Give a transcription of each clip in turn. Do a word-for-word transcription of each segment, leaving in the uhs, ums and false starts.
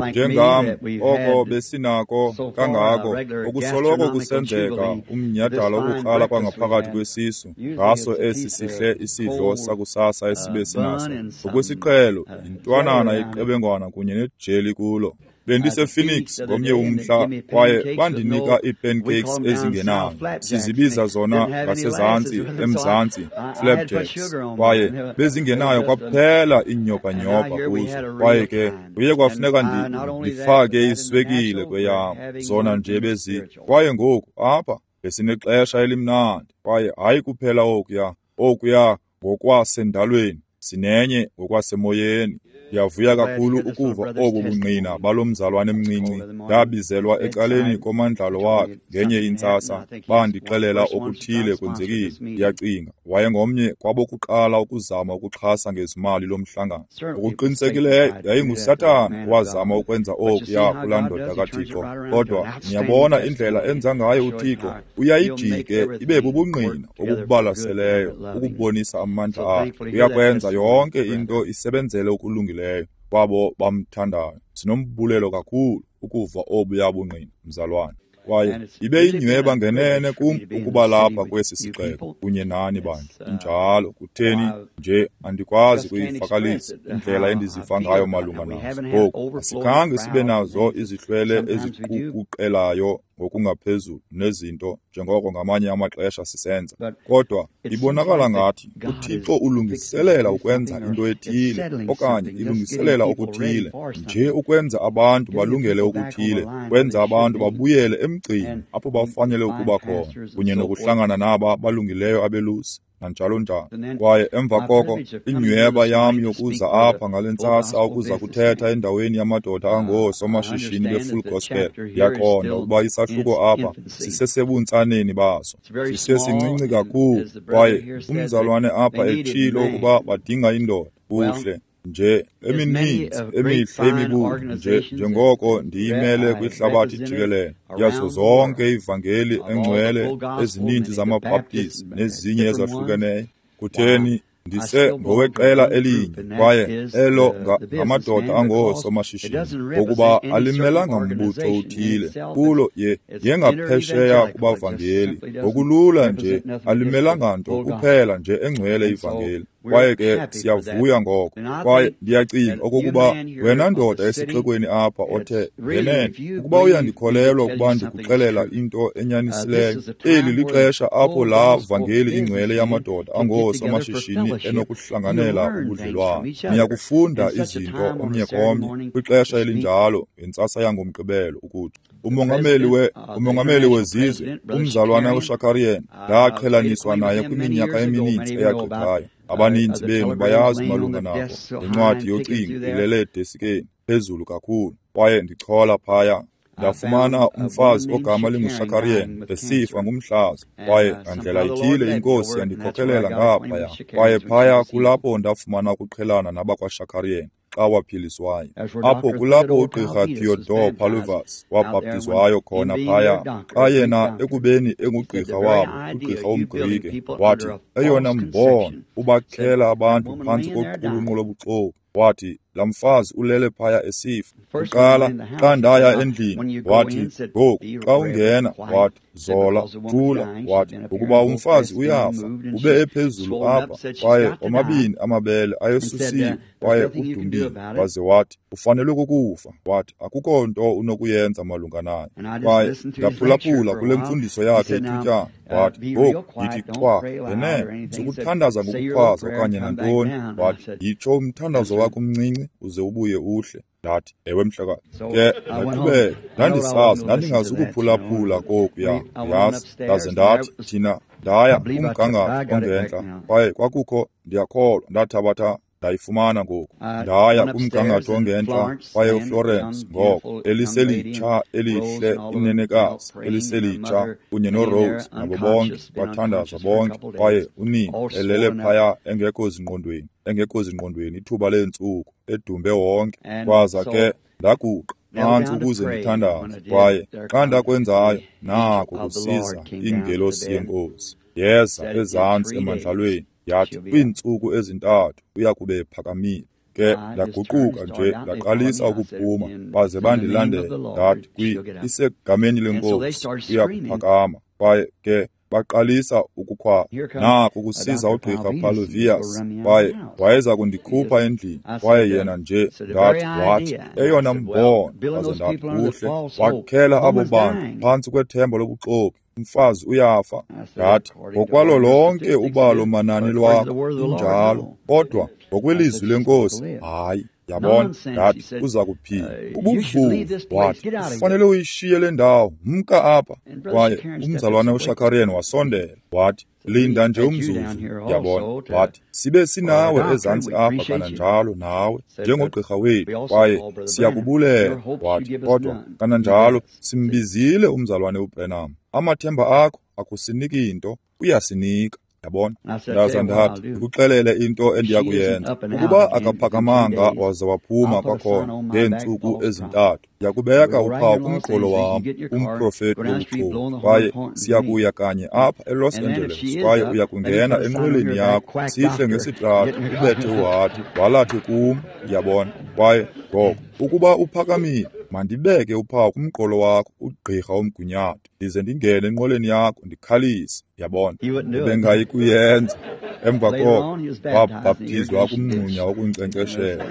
Njengam, oko besinako kangako, okusoloko kusenzeka umnyhadala wokukrala kwangaphakathi kwesisu, ngaso esi sihle isidlo sakusasa esibe sinaso. Ngokwesiqhelo, yintwanana yeqebengwana kunye nejeli kulo. BendisePhoenix ngomnye umhla kwaye bandinika ii-pancakes ezingenayo. Sizibiza zona ngasezantsi emzantsi flapjacks, kwaye bezingenayo kwaphela iinyobanyobha kuzo. Kwaye ke kuye kwafuneka ndifake iswekile kweyam, zona nje bezi. Kwaye ngoku apha besinexesha elimnandi, kwaye hayi kuphela okuya, okuya ngokwasendalweni, sinenye ngokwasemoyeni. Ndiyavuya kakhulu ukuva obu bungqina balo mzalwane mncinci. Ndabizelwa ecaleni komandlalo wakhe ngenye intsasa, bandixelela okuthile kwenzekile. Ndiyacinga wayengomnye kwabokuqala ukuzama ukuxhasa ngezimali lo mhlangano. Ngokuqinisekileyo yayinguSathana owazama ukwenza okuya kulaa ndoda kaThixo. Kodwa niyabona indlela enza ngayo uThixo, uyayijike ibe bubungqina obubalaseleyo ukubonisa amandla akhe. Uyakwenza yonke into isebenzele okulungileyo kwabo bamthandayo. Sinombulelo kakhulu ukuva obuya bungqina, mzalwane. Kwaye ibe yinyhweba ngenene kum ukuba lapha kwesi sixeko kunye nani bantu. Injalo, kutheni nje andikwazi kuyivakalisa indlela endiziva ngayo malunga nazo. Ngoku asikhange sibe nazo izihlwele eziqukuqelayo ngokungaphezulu nezinto njengoko ngamanye amaxesha sisenza. Kodwa ibonakala ngathi uThixo ulungiselela ukwenza into ethile okanye ilungiselela okuthile, nje ukwenza abantu balungele okuthile, kwenza abantu babuyele emgcini apho bafanele ukuba khona, kunye nokuhlangana naba balungileyo abelusi nanjalo njalo. Kwaye emva koko inyhweba yam yokuza apha ngale ntsasa ukuza kuthetha endaweni yamadoda angoosomashishini be-Full Gospel. Ndiyaqonda ukuba isahluko apha sisesebuntsaneni baso, sisesincinci kakhulu. Kwaye umzalwane apha etshilo ukuba badinga indoda. Kuhle nje, emininzi emihle imibutho nje njengoko ndiyimele kwihlabathi jikelele yazo zonke ivangeli engcwele ezininzi zamaBhaptizi nezinye ezahlukeneyo. Kutheni, ndise ngoweqela elinye, kwaye elo ngamadoda angoosomashishini, ngokuba alimelanga mbutho uthile kulo ye yengaphesheya kubavangeli. Ngokulula nje alimelanga nto kuphela nje engcwele ivangeli. Kwaye ke siyavuya ngoko. Kwaye ndiyacinga okokuba wena ndoda esixekweni apha othe ngenene, ukuba uyandikholelwa ukuba ndikuxelela into enyanisileyo, eli lixesha apho laa vangeli ingcwele yamadoda angoosomashishini enokuhlanganela ubudlelwane. Niyakufunda izinto omnye komnye kwixesha elinjalo ngentsasa yangoMgqibelo ukuthi umongameli we umongameli wezizwe umzalwana uShakarian ndaqhelaniswa naye kwiminyaka emininzi eyagqithayo. Abaninzi benu bayazi malunga nako. Incwadi yocingo ilele edesikeni phezulu kakhulu, kwaye ndichola phaya. Ndafumana umfazi ogama linguShakarian esifa ngumhlaza, kwaye ngandlela ithile inkosi yandikhokelela ngaphaya. Kwaye phaya kulapho ndafumana ukuqhelana nabakwaShakarian xa waphiliswayo. Apho kulapho ugqirha Theodore Paluvas wabhaptizwayo khona phaya, xa yena ekubeni engugqirha wabo, ugqirha womGrike, wathi eyona mbono ubakhela abantu phantsi koqulunqo lobuxoki. Wathi laa mfazi ulele phaya esifa. Kuqala xa ndaya endlini, wathi ngoku xa ungena, wathi zola, thula, wathi ukuba umfazi uyafa, ube ephezulu apha, kwaye omabini amabele ayesusiwe, kwaye udumbile. Waze wathi ufanelwe kukufa. Wathi akukho nto unokuyenza malunga naye. Kwaye ndaphulaphula kule mfundiso yakhe ithutyana. Wathi ngoku yithi cwa ngenene, sukuthandaza ngokukhwaza okanye nantoni. Wathi yitsho umthandazo wakho umncinci uze ubuye uhle. Ndathi ewe mhlekazi. Ke ndaqhubeka, ndandisazi ndandingazukuphulaphula kokuya, yazi. Ndaze ndathi thina ndaya kumgangatho ongentla, kwaye kwakukho, ndiyakholwa, ndathabatha ndayifumana ngoku. Ndaya kumgangatho ongentla, kwaye uFlorence ngoko eliselitsha elihle inenekazi eliselitsha kunye noRose nabo bonke bathandaza bonke, kwaye unina elele phaya engekho zingqondweni, engekho zingqondweni ithuba leentsuku, edumbe wonke. Kwaza ke ndaguqa phantsi ukuze ndithandaze, kwaye xa ndakwenzayo, nako kusiza ingelosi yeNkosi yeza ezantsi emandlalweni, yathi kwiintsuku ezintathu uya kube ephakamile. Ke Ke ndaguquka nje ndaqalisa ukuphuma, baze bandilandela. Ndathi kwi isegameni lenkosi uyakuphakama. Kwaye ke baqalisa ukukhwaza, naku kusiza ugqirha Paluvius, kwaye wayeza kundikhupha endlini. Kwaye yena nje ndathi wathi eyona mbono, waze ndathi kuhle, wakhela abo bantu phantsi kwethemba lobuxoki, umfazi uyafa. Ndathi ngokwalo lonke ubalo manani lwakho injalo, kodwa ngokwelizwi lenkosi hayi. Yabona, ndathi uza kuphila. Ubuvuvu, wathi ufanele uyishiye le ndawo, mka apha. Kwaye umzalwana uShakarian wasondela, wathi linda nje umzuzu. Yabona, wathi sibe sinawe ezantsi apha kananjalo nawe njengogqirha wethu, kwaye siyakubulela. Wathi kodwa kananjalo simbizile umzalwane uBrenham, amathemba akho akusiniki nto, uyasinika. Yabona, ndaza ndathi ndikuxelele into endiyakuyenza. Ukuba akaphakamanga waze waphuma kwakhona ngeentsuku ezintathu, ndiyakubeka uphawu kumqolo wam, umprofeti wobuxoki, kwaye siyakuya kanye apha eLos Angeles, kwaye uya kungena enqweleni yakho, sihle ngesitrato, ubethe uhadi, walathe kum. Yabona, kwaye ngoko ukuba uphakamile, mandibeke uphawu kumqolo wakho, ugqirha omgunyathi, ndize ndingene enqweleni yakho ndikhalise. Yabona, ebengayi kuyenza. Emva koko wabhaptizwa kumngxunya wokunkcenkceshela,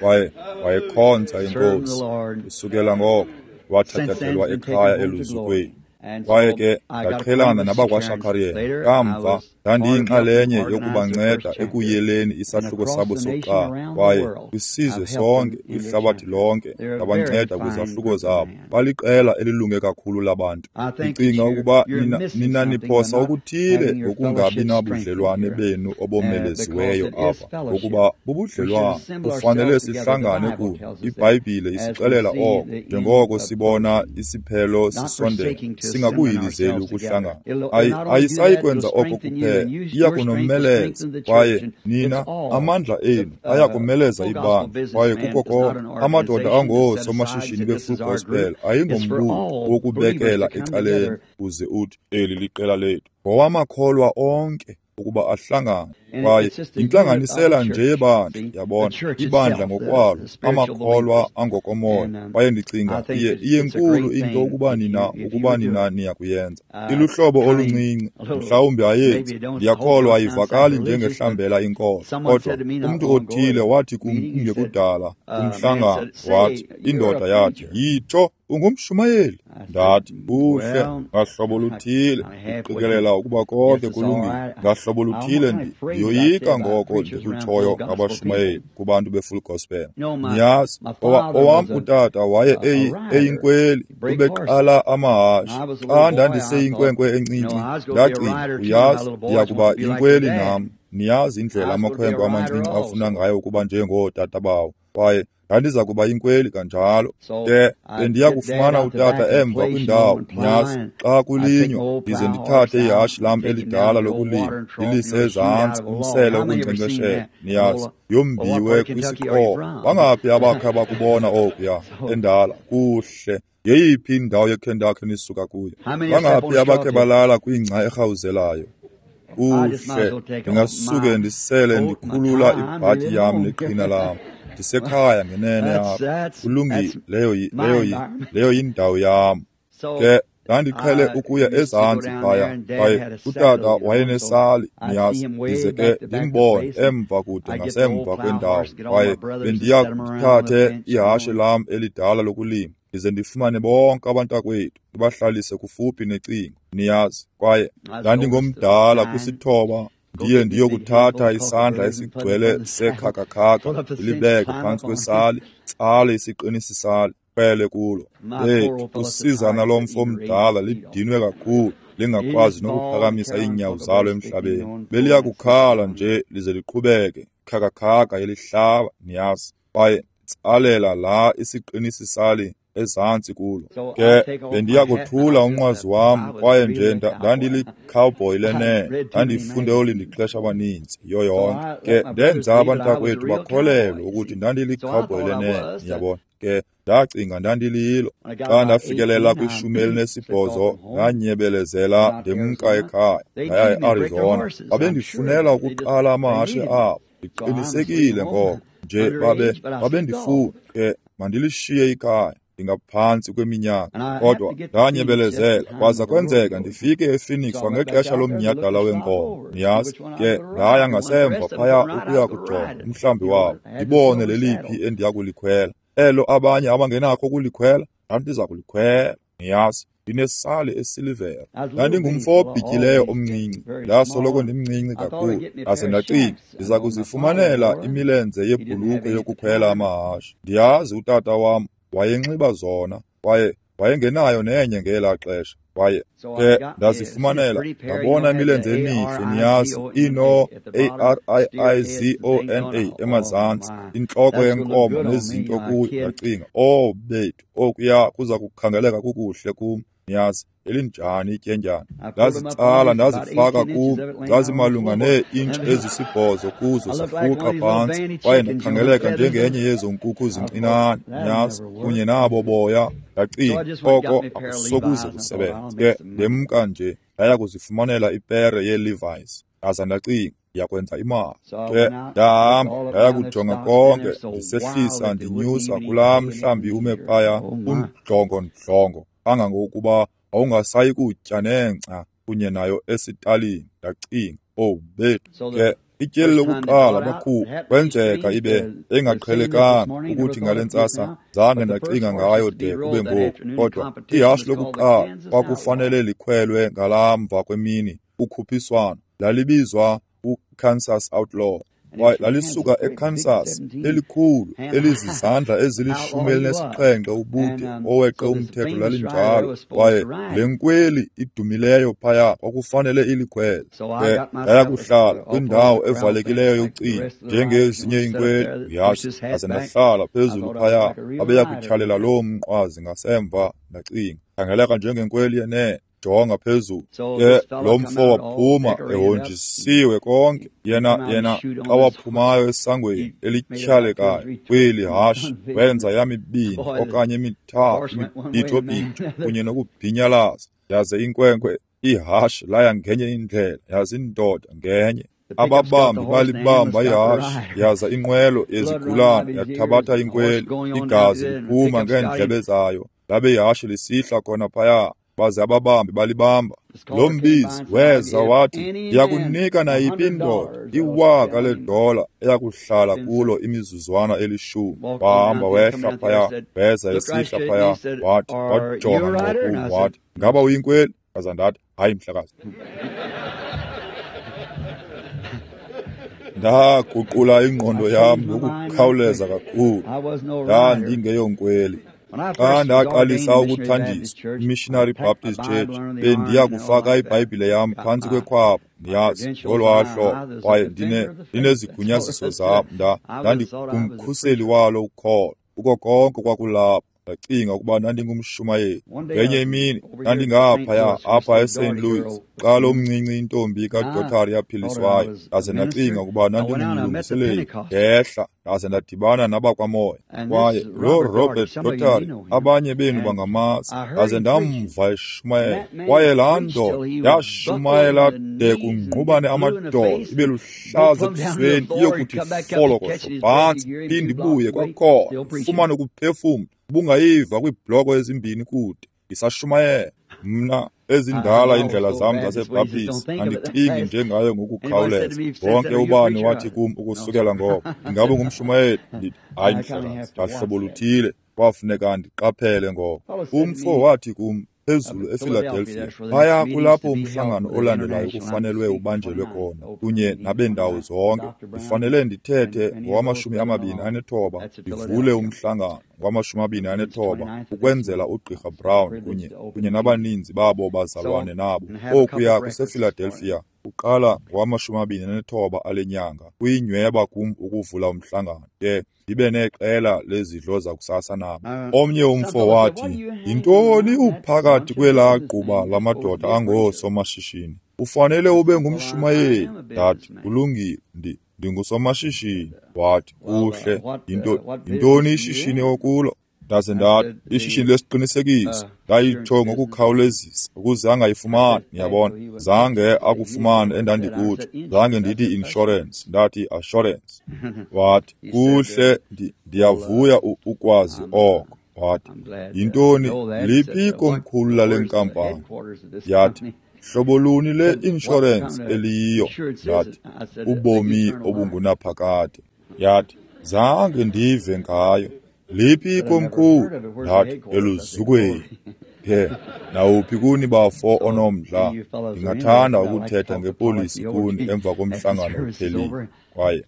kwaye wayekhonza inkosi. Kusukela ngoko wathathathelwa ekhaya eluzukweni. Kwaye ke ndaqhelana nabakwaShakarian. Kamva ndandiyinxalenye yokubanceda ekuyeleni isahluko sabo sokuqala, kwaye kwisizwe sonke, kwihlabathi lonke, ndabanceda kwizahluko zabo. Baliqela elilunge kakhulu labantu. Ndicinga ukuba nina, nina niphosa okuthile ngokungabi nabudlelwane benu obomelesiweyo apha, ngokuba bubudlelwane kufanele sihlangane kunye. IBhayibhile isixelela oko, njengoko sibona isiphelo sisondela, singakuyilizeli ukuhlangana. Ayisayi kwenza oko kuphela, iya kunomeleza, kwaye nina amandla enu ayakumeleza ibandla. Kwaye kuko konke amadoda angoosomashishini be-Full Gospel ayingombutho wokubekela ecaleni uze uthi eli liqela lethu, ngowamakholwa onke ukuba ahlangane. Kwaye yintlanganisela nje yebandla, yabona, ibandla ngokwalo, amakholwa angokomoya. Kwaye ndicinga iye iyenkulu into ukuba nina ukuba nina niyakuyenza. Iluhlobo oluncinci, mhlawumbi ayenzi, ndiyakholwa ayivakali njengehlambela inkolo, kodwa umntu othile wathi kum kungekudala kumhlangano, wathi indoda yathi, yitsho ungumshumayeli. Ndathi kuhle, ngahlobo luthile ndiqikelela ukuba konke kulungile, ngahlobo luthile ndiyoyika ngoko ndikutshoyo ngabashumayeli kubantu be-Full Gospel. Niyazi, owam utata waye eyinkweli, ubeqala amahashe. Xa ndandiseyinkwenkwe encinci, ndacinga, uyazi, ndiyakuba yinkweli nam. Niyazi indlela amakhwenkwe amancinci afuna ngayo ukuba njengootata bawo, kwaye ndandiza kuba yinkweli kanjalo. Ke bendiya kufumana utata emva kwindawo, niyazi, xa kulinywa, ndize ndithathe ihashe lam elidala lokulima, ndilise ezantsi umsele wokunkcenkceshela, niyazi, yombiwe kwisiqholo. Bangaphi abakhe bakubona okuya endala? Kuhle. Yeyiphi indawo yeKentucky nisuka kuyo? Bangaphi abakhe balala kwingca erhawuzelayo? Kuhle, ndingasuke ndisele ndikhulula ibhatyi yam neqhina lam. Ndisekhaya ngenene apha. Kulungile, leyo leyo leyo yindawo yam. Ke ndandiqhele ukuya ezantsi phaya, kwaye utata wayenesali, niyazi, ndize ke ndimbone emva kude ngasemva kwendawo, kwaye bendiya ndithathe ihashe lam elidala lokulima, ndize ndifumane bonke abantakwethu, ndibahlalise kufuphi necingo, niyazi. Kwaye ndandingomdala kwisithoba, ndiye ndiyokuthatha isandla esigcwele sekhakakhaka, ndilibeke phantsi kwesali, tsale isiqinisi sali, khwele kulo. Lethu usizana lomfo omdala lidinwe kakhulu, lingakwazi nokuphakamisa iinyawo zalo emhlabeni. Beliya kukhala nje lize liqhubeke, khakakhaka elihlaba, niyazi. Kwaye tsalela la isiqinisi sali ezantsi kulo. Ke bendiya kothula umnqwazi wam, kwaye nje ndandili-cowboy lenene, ndandifunde olindixesha abaninzi yiyo yonke. Ke ndenza abantakwethu bakholelwe ukuthi ndandili-cowboy lenene, niyabona. Ke ndacinga ndandililo. Xa ndafikelela kwishumi elinesibhozo, ndanyebelezela ndemka ekhaya, ndaya eArizona. Babendifunela ukuqala amahashe abo, ndiqinisekile ngoko. Nje babe babendifuna ke mandilishiye ikhaya, ndingaphantsi kweminyaka, kodwa ndanyebelezela kwaza kwenzeka ndifike ePhoenix kwangexesha lomnyhadala wenkomo. Niyazi ke, ndaya ngasemva phaya ukuya kujonga umhlambi wabo, ndibone leliphi endiya kulikhwela. Elo abanye abangenakho ukulikhwela, ndandiza kulikhwela. Niyazi, ndinesali esilivera. Ndandingumfo obhityileyo omncinci, ndasoloko ndimncinci kakhulu. Ndaze ndacinga, ndiza kuzifumanela imilenze yebhulukhwe yokukhwela amahashe. Ndiyazi utata wam wayenxiba zona, kwaye wayengenayo nenye ngelaa xesha. Kwaye ke ndazifumanela, ndabona imilenze emihle, niyazi, ino A R I I Z O N A emazantsi, intloko yenkomo nezinto kuyo. Ndacinga, oh bethu, okuya kuza kukhangeleka kukuhle kum. Niyazi, elinjani ityendyana. Ndazitsala ndazifaka kum, zazimalunga nee-intshi ezisibhozo kuzo zifuqa phantsi, kwaye ndakhangeleka njengenye yezo nkukhu zincinane, niyazi, kunye nabo boya. Ndacinga, oko akusokuze kusebenze. Ke ndemka nje ndaya kuzifumanela ipere yeeLevi's. Ndaza ndacinga, ndiyakwenza imali. Ke ndahamba ndaya kujonga konke, ndisehlisa ndinyusa kulaa mhlambi ume phaya undlongondlongo kangangokuba awungasayi kutya nengca kunye nayo esitalini. Ndacinga, oh bethu. Ke ityeli lokuqala bakhupha kwenzeka ibe engaqhelekanga ukuthi ngale ntsasa zange ndacinga ngayo de kube ngoku, kodwa ihashe lokuqala kwakufanele likhwelwe ngalamva kwemini ukhuphiswano lalibizwa uKansas Outlaw. Kwaye lalisuka eKansas, elikhulu elizizandla ezilishumi elinesixhenxe ubude, oweqe umthetho lalinjalo. Kwaye le nkweli idumileyo phaya kwakufanele ilikhwele. Ke ndaya kuhlala kwindawo evalekileyo yocingo njengezinye iinkweli, uyazi. Ndaze ndahlala phezulu phaya, babeya kutyhalela loo mnqwazi ngasemva. Ndacinga, khangeleka njengenkweli yenene. Jonga phezulu. Ke lo mfo waphuma ehonjisiwe konke. Yena yena xa waphumayo esangweni elityhalekayo kweli hashe, wenza yamibini okanye emithathu imibhitho-bhitho kunye nokubhinyalaza. Yaze inkwenkwe ihashe laya ngenye indlela, yaze indoda ngenye. Ababambi balibamba ihashe, yaza inqwelo yezigulane yathabatha inkweli, igazi liphuma ngeendlebe zayo, labe ihashe lisihla khona phaya. Baze ababambi balibamba. Lo mbizi weza wathi, ndiyakunika nayiphi indoda iwaka ledola eyakuhlala kulo imizuzwana elishumi. Wahamba wehla phaya, weza esihla phaya, wathi, wajonga ngqo kum, wathi, ngaba uyinkweli? Ndaza ndathi, hayi mhlekazi. Ndaguqula ingqondo yam ngokukhawuleza kakhulu. Ndandingeyonkweli. Xa ndaqalisa ukuthanjiswa iMissionary Baptist Church, bendiya kufaka iBhayibhile yam phantsi kwekhwapha, niyazi, ngolwaa hlobo. Kwaye ndine ndinezigunyaziso zam, ndandingumkhuseli walo ukholo. Kuko konke kwakulapho. Ndacinga ukuba ndandingumshumayeli. Ngenye imini ndandingaphaya apha eSaint Louis xa lo mncinci intombi kaDotary yaphiliswayo. Ndaze ndacinga ukuba ndandingumlungiseleli. Ndehla ndaze ndadibana nabakwamoya. Kwaye lo Robert Dotary, abanye benu bangamazi, ndaze ndamva eshumayela. Kwaye laa ndoda yashumayela de kungqubane amadolo, ibe luhlaza ebusweni, iyokuthi folokohlo phantsi, phinde ibuye kwakhona, ifumane ukuphefumla. Ubungayiva kwiibhloko ezimbini kude ndisashumayela. Mna ezindala iindlela zam zaseBaptist andicingi njengayo ngokukhawuleza. Wonke ubani wathi kum ukusukela ngoko, ingabe ngumshumayeli? Ndithi, hayi mhlekazi, ngahlobo luthile kwafuneka ndiqaphele ngoko. Umfo wathi kum phezulu ePhiladelphia, phaya kulapho umhlangano olandelayo kufanelwe ubanjelwe khona kunye nabeendawo zonke. Ndifanele ndithethe ngowamashumi amabini anethoba, ndivule umhlangano ngowamashumi amabini anethoba ukwenzela uGqirha Brown kunye kunye nabaninzi babo bazalwane nabo. Okuya kusePhiladelphia uqala ngowamashumi amabini anethoba ale nyanga. Kuyinyweba kum ukuvula umhlangano ke ndibe neqela lezidlo zakusasa nabo. Omnye umfo wathi, yintoni uphakathi kwelaa gquba lamadoda angoosomashishini? Ufanele ube ngumshumayeli. Ndathi, kulungile, ndi ndingusomashishini. Wathi, kuhle, yinto yintoni ishishini okulo? Ndaze ndathi, ishishini lesiqinisekiso. Ndayitsho ngokukhawulezisa ukuze angayifumani, niyabona. Zange akufumane endandikutsho. Zange ndithi insurance, ndathi assurance. Wathi, kuhle, ndiyavuya ukwazi oko. Wathi, yintoni, liphi ikomkhulu lale nkampani? Yathi, hlobo luni le-inshorensi eliyiyo? Ndathi, ubomi obungunaphakade. Yathi, zange ndive ngayo. Liphi ikomkhulu? Ndathi, eluzukweni. Ke, nawuphi kuni bafo onomdla, ndingathanda ukuthetha ngepolisi kuni emva komhlangano uphelile. Kwaye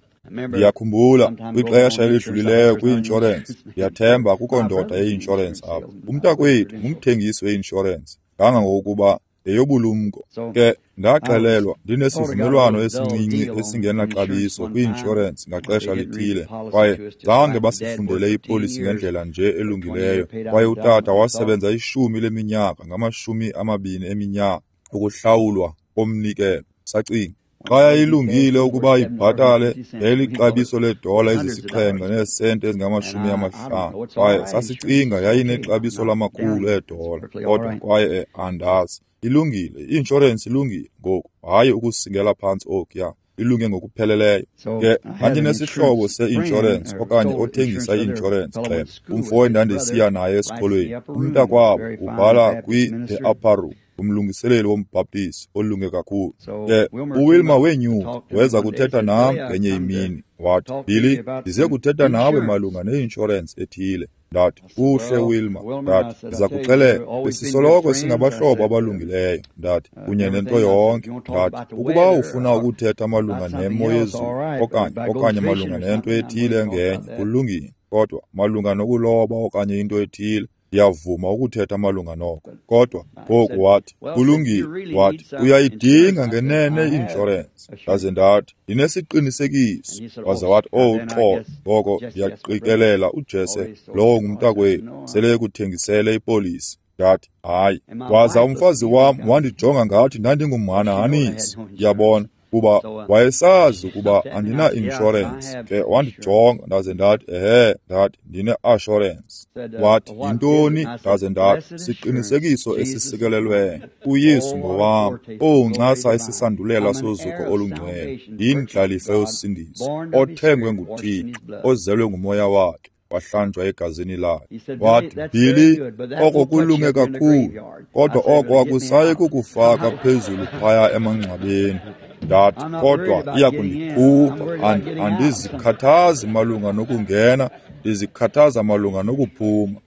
ndiyakhumbula kwixesha elidlulileyo kwi-inshorensi, ndiyathemba akukho ndoda ye-inshorensi apha. Umntakwethu ngumthengisi we-inshorensi, kangangokuba yeyobulumko. Ke ndaxelelwa ndinesivumelwano esincinci esingenaxabiso kwi-inshorensi ngaxesha lithile, kwaye zange basifundele ipolisi ngendlela nje elungileyo. Kwaye utata wasebenza ishumi leminyaka ngamashumi amabini eminyaka ukuhlawulwa komnikelo. Sacinga xa yayilungile ukuba ibhatale yayilixabiso leedola ezisixhenxe neesenti ezingamashumi amahlanu, kwaye sasicinga yayinexabiso lamakhulu eedola. Kodwa kwaye andazi, ilungile i-inshorensi, ilungile ngoku, hayi ukusingela phantsi okuya, ilunge ngokupheleleyo. Ke ndandinesihlobo se-inshorensi okanye othengisa i-inshorensi xeba, umfo endandisiya naye esikolweni, umntakwabo ubhala kwi-The Upper Room, umlungiseleli wombhaptisi olunge kakhulu. Ke uWilma wenyuka weza kuthetha nam ngenye imini. Wathi, Billy, ndize kuthetha nawe malunga ne-inshorensi ethile. Ndathi, kuhle Wilma. Ndathi, ndiza kuxelela, besisoloko singabahlobo abalungileyo. Ndathi, kunye nento yonke. Ndathi, ukuba ufuna ukuthetha malunga nemo yezulu okanye okanye malunga nento ethile engenye, kulungile. Kodwa malunga nokuloba okanye into ethile, ndiyavuma ukuthetha malunga noko. Kodwa ngoku wathi, kulungile. Wathi, uyayidinga ngenene i-inshorensi. Ndaze ndathi, ndinesiqinisekiso. Waze wathi, oh uxolo, ngoko ndiyaqikelela uJesse lowo ngumntakwethu sele ekuthengisele ipolisi. Ndathi, hayi. Waza umfazi wam wandijonga ngathi ndandingumhanahanisi, ndiyabona, kuba wayesazi ukuba andina-inshorensi. Ke wandijonga, ndaze ndathi, ehe, ndathi ndine-assurance. Wathi, yintoni? Ndaze ndathi, siqinisekiso esisikelelweyo, uYesu ngowam, owuncasa isisandulela sozuko olungcwele, yindlalifa yosindiso, othengwe nguThixo, ozelwe ngumoya wakhe, wahlanjwa egazini lakhe. Wathi, Billy, oko kulunge kakhulu, kodwa oko akusayi kukufaka phezulu phaya emangcwabeni. Ndathi, kodwa iya kundikhupha. Andizikhathazi malunga nokungena, ndizikhathaza malunga nokuphuma.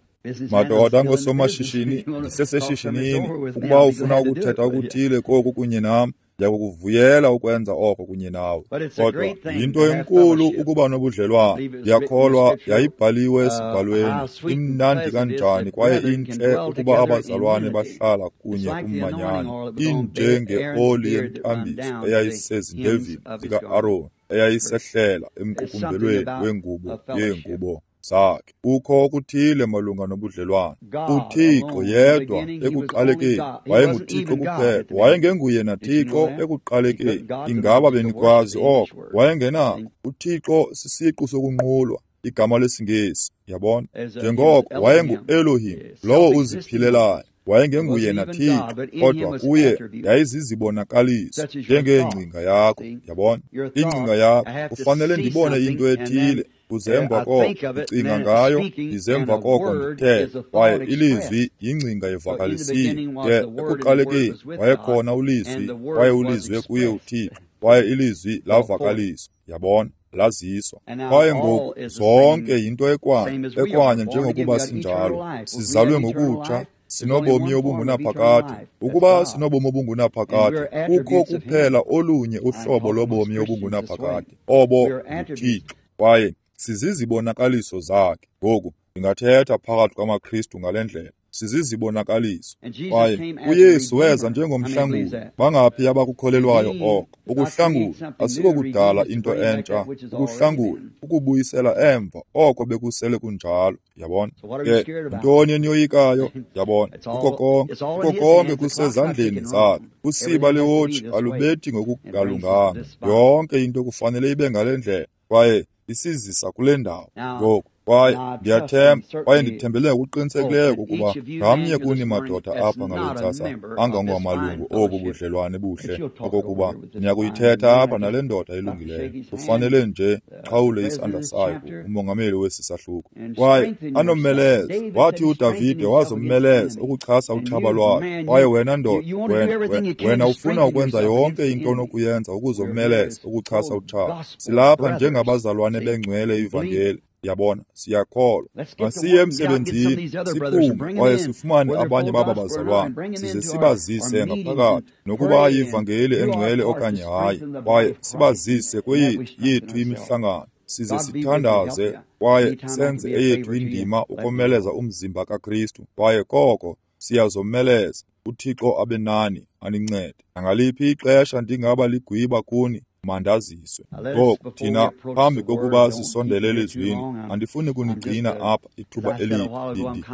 Madoda ngosomashishini, ndiseseshishinini. Ukuba ufuna ukuthetha okuthile koku kunye nam, ndiyakukuvuyela ukwenza oko kunye nawe. Kodwa yinto enkulu ukuba nobudlelwane. Ndiyakholwa yayibhaliwe esibhalweni, imnandi kanjani kwaye intle ukuba abazalwane bahlala kunye kumanyano, injengeoli yemtambiso eyayisezindevini zika-Aroni, eyayisehlela emqukumbelweni wengubo yeengubo zakhe. Kukho okuthile malunga nobudlelwane. UThixo yedwa ekuqalekeni wayenguThixo kuphela, wayengenguye naThixo ekuqalekeni. Ingaba benikwazi oko? Wayengenako. UThixo sisiqu sokunqulwa, igama lesiNgesi, yabona. Njengoko wayengu-Elohim, lowo uziphilelayo. Wayengenguye naThixo, kodwa kuye yayizizibonakaliso njengeengcinga yakho, yabona. Ingcinga yakho, kufanele ndibone into ethile, kuze emva koko ndicinga ngayo, ndize emva koko ndithethe. Kwaye ilizwi yingcinga evakalisiwe. Ke ekuqalekeni wayekhona ulizwi, kwaye ulizwi kuye uThixo, kwaye ilizwi lavakaliswa, yabona, laziswa. Kwaye ngoku zonke yinto ekwanye, ekwanye njengokuba sinjalo, sizalwe ngokutsha, sinobomi obungunaphakade. Ukuba sinobomi obungunaphakade, kukho kuphela olunye uhlobo lobomi obungunaphakade, obo nguThixo, kwaye sizizibonakaliso zakhe. Ngoku ndingathetha phakathi kwamaKristu ngale ndlela, sizizibonakaliso. Kwaye uYesu weza njengomhlanguli. Bangaphi abakukholelwayo oko? Ukuhlangula asikokudala into entsha, ukuhlangula ukubuyisela emva oko bekusele kunjalo, yabona. Ke yintoni eniyoyikayo? Yabona, kuko konke, kuko konke kusezandleni zakhe. Usiba lewotshi alubethi ngokungalunganga. Yonke into kufanele ibe ngale ndlela, kwaye isizisa kule ndawo. Ngoku Kwaye ndiyathemba kwaye ndithembele ngokuqinisekileyo ukuba ngamnye kuni madoda apha ngale ntsasa angangamalungu obu budlelwane buhle, okokuba niyakuyithetha apha nale ndoda ilungileyo. Kufanele nje qhawule isandla sayo umongameli wesi sahluko. Kwaye anomeleza, wathi uDavide wazomeleza ukuchasa utshaba lwakhe. Kwaye wena ndoda, wena, wena ufuna ukwenza yonke into onokuyenza ukuzomeleza ukuchasa utshaba. Silapha njengabazalwane bengcwele ivangeli. Yabona, siyakholwa. Masiye emsebenzini, siphume kwaye sifumane abanye baba bazalwane, size sibazise ngaphakathi, nokuba yivangeli engcwele okanye hayi, kwaye sibazise kweyethu yethu imihlangano, size sithandaze kwaye senze eyethu indima ukomeleza umzimba kaKristu. Kwaye koko siyazomeleza. UThixo abe nani, anincede. Nangaliphi ixesha ndingaba ligwiba kuni, mandaziswe. Ngoku thina phambi kokuba sisondele elizwini, andifuni kunigcina apha ithuba elide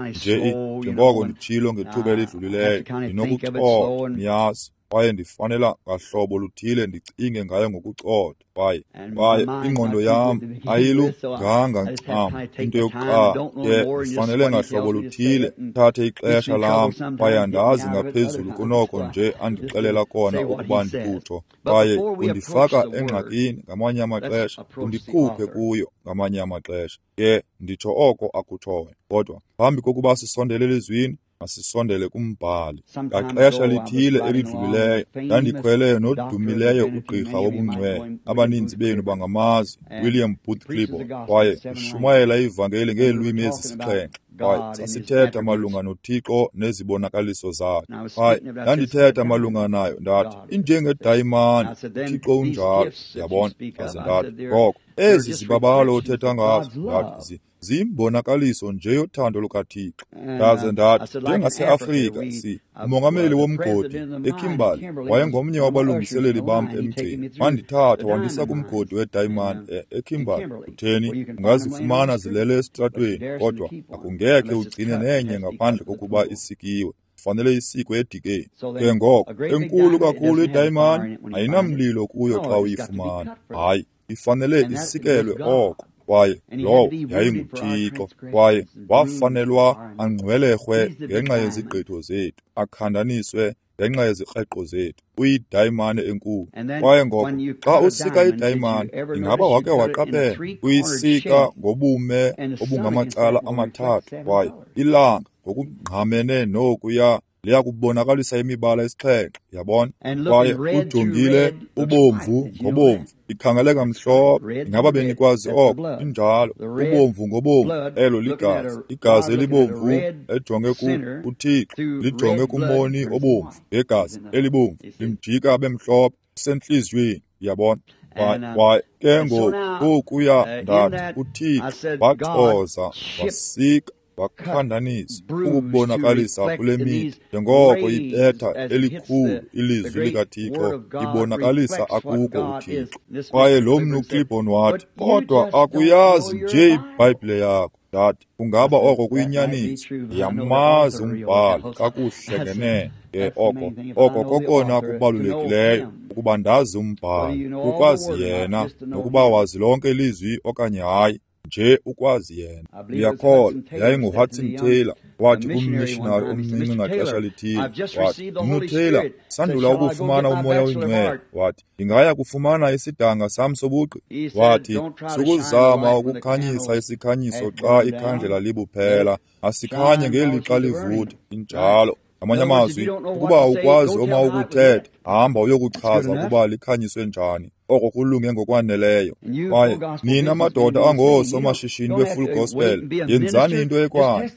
nje, njengoko nditshilo ngethuba elidlulileyo, ndinokucotha, niyazi, kwaye ndifanela ngahlobo luthile ndicinge ngayo ngokucotha. Kwaye kwaye ingqondo yam ayilunganga ncam into yokuqala, ke ndifanele ngahlobo luthile ndithathe ixesha lam, kwaye andazi ngaphezulu kunoko nje andixelela kona ukuba ndikutsho. Kwaye undifaka engxakini ngamanye amaxesha, undikhuphe kuyo ngamanye amaxesha. Ke nditsho oko akutshoyo. Kodwa phambi kokuba sisondele elizwini, masisondele kumbhali. Ngaxesha lithile elidlulileyo ndandikhwele nodumileyo ugqirha wobungcwele, abaninzi benu bangamazi, William Booth Clibborn, kwaye ushumayela ivangeli ngeelwimi ezisixhenxe. Kwaye sasithetha malunga noThixo nezibonakaliso zakhe. Kwaye ndandithetha malunga nayo, ndathi injengedayimani, uThixo unjalo. Yabona, ndaze ndathi ngoko ezi zibabalo othetha ngazo, ndathi ziyimbonakaliso nje yothando lukaThixo. Ndaze ndathi njengaseAfrika, si umongameli womgodi eKimberley wayengomnye wabalungiseleli bam emgceni. Wandithatha wandisa kumgodi wedayimani eKimberley. Utheni, ungazifumana zilele esitratweni, kodwa akungekhe ugcine nenye ngaphandle kokuba isikiwe. Fanele isikwe edikeni. Ke ngoko enkulu kakhulu idayimani ayinamlilo kuyo xa uyifumana. Hayi, ifanele isikelwe oko. Kwaye lowo yayinguThixo, kwaye wafanelwa angcwelerhwe ngenxa yezigqitho zethu, akhandaniswe ngenxa yezikreqo zethu. Uyidayimane enkulu. Kwaye ngoko xa usika idayimane, ingaba wake waqaphela, uyisika ngobume obungamacala amathathu, kwaye ilanga ngokungqamene nokuya liyakubonakalisa imibala esixhenxe. Yabona? Kwaye ujongile ubomvu ngobomvu, ikhangeleka mhlophe. Ingaba benikwazi oko? Injalo, ubomvu ngobomvu, elo ligazi. Igazi elibomvu ejonge kuThixo lijonge kumoni obomvu ngegazi elibomvu, limjika abe mhlophe kusentliziyweni. Yabona? Kwaye ke ngoku kokuya ndathi uThixo waxoza wasika wakhandanisa ukubonakalisa kule mihla, njengoko ibetha elikhulu ilizwi likaThixo ibonakalisa akuko uThixo. Kwaye lo mnu Clibborn wathi, kodwa akuyazi nje iBhayibhile yakho. Ndathi, kungaba oko kuyinyaniso, ndiyamazi umbhali kakuhle ngenene. Ke oko oko kokona kubalulekileyo, ukuba ndazi umbhali, ukwazi yena, nokuba wazi lonke ilizwi okanye hayi, nje ukwazi yena. Ndiyakholwa yayinguHudson Taylor wathi kummishinari omncinci ngaxesha lithile, wathi, Mnu Taylor, sandula ukufumana uMoya oyiNgcwele. Wathi, ndingaya kufumana isidanga sam sobugqi. Wathi, sukuzama ukukhanyisa isikhanyiso xa ikhandlela libuphela, asikhanye ngelixa livutha. Injalo. Ngamanye amazwi, ukuba awukwazi oma ukuthetha, hamba uyokuchaza ukuba likhanyiswe njani. Oko kulunge ngokwaneleyo. Kwaye nina madoda angoosomashishini be-Full Gospel, yenzani into ekwayo.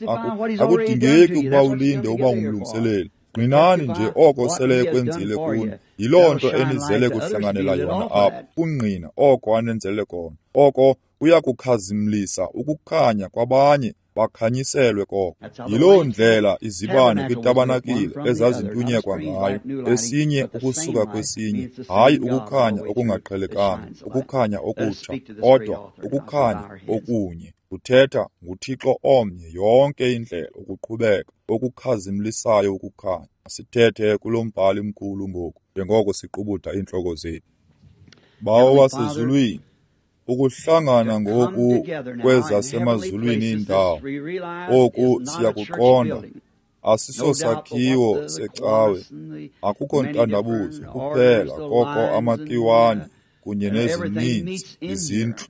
Akudingeki ukuba ulinde uba ngumlungiseleli. Ngqinani nje oko sele ekwenzile kuni. Yiloo nto enizele kuhlanganela yona apha, kungqina oko anenzele kona. Oko kuyakukhazimlisa ukukhanya kwabanye, bakhanyiselwe koko. Yiloo ndlela izibane kwitabanakile ezazintunyekwa ngayo, esinye ukusuka kwesinye, hayi ukukhanya okungaqhelekanga, ukukhanya okutsha, kodwa ukukhanya okunye. Kuthetha nguThixo omnye yonke indlela ukuqhubeka, okukhazimlisayo ukukhanya. Sithethe kulo mbhali mkhulu ngoku, njengoko siqubuda iintloko zethu. Bawo wasezulwini, Ukuhlangana ngoku kwezasemazulwini iindawo, oku siyakuqonda, asisosakhiwo secawe, akukho ntandabuzo kuphela koko amakiwane kunye nezininzi izintlu,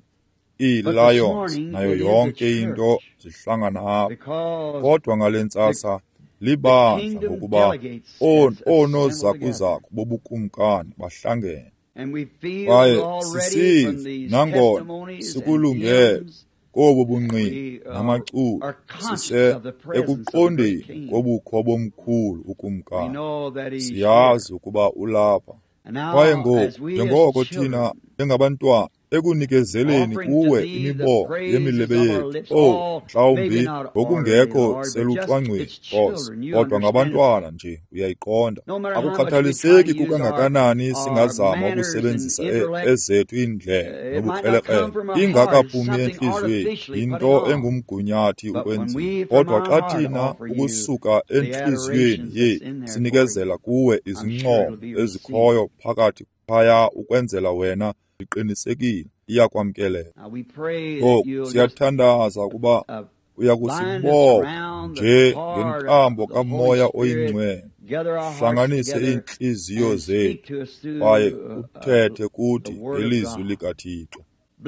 ii-lions nayo yonke into zihlangana apha. Kodwa ngale ntsasa libandla ngokuba oonozakuzaku bobukumkani bahlangene. Kwaye sisiva nangona sikulungele kobu bungqina namaculo, sise ekuqondeni kobukho bomkhulu ukumkani. Siyazi ukuba ulapha. Kwaye ngoku, njengoko thina njengabantwana ekunikezeleni kuwe imibongo yemilebe yethu, oh, mhlawumbi ngokungekho selucwangcweni, Nkosi, kodwa ngabantwana nje uyayiqonda. Akukhathaliseki kukangakanani singazama ukusebenzisa ezethu iindlela nobukrelekrele, ingakaphumi entliziyweni, yinto engumgunyathi ukwenziwa. Kodwa xa thina ukusuka entliziyweni yethu sinikezela kuwe izincomo ezikhoyo phakathi phaya ukwenzela wena, iqinisekile iyakwamkeleka. Ngoku siyathandaza ukuba uyakusibopha nje ngentambo kaMoya oyiNgcwele, hlanganise iintliziyo zethu kwaye uthethe kuthi ngelizwi likaThixo.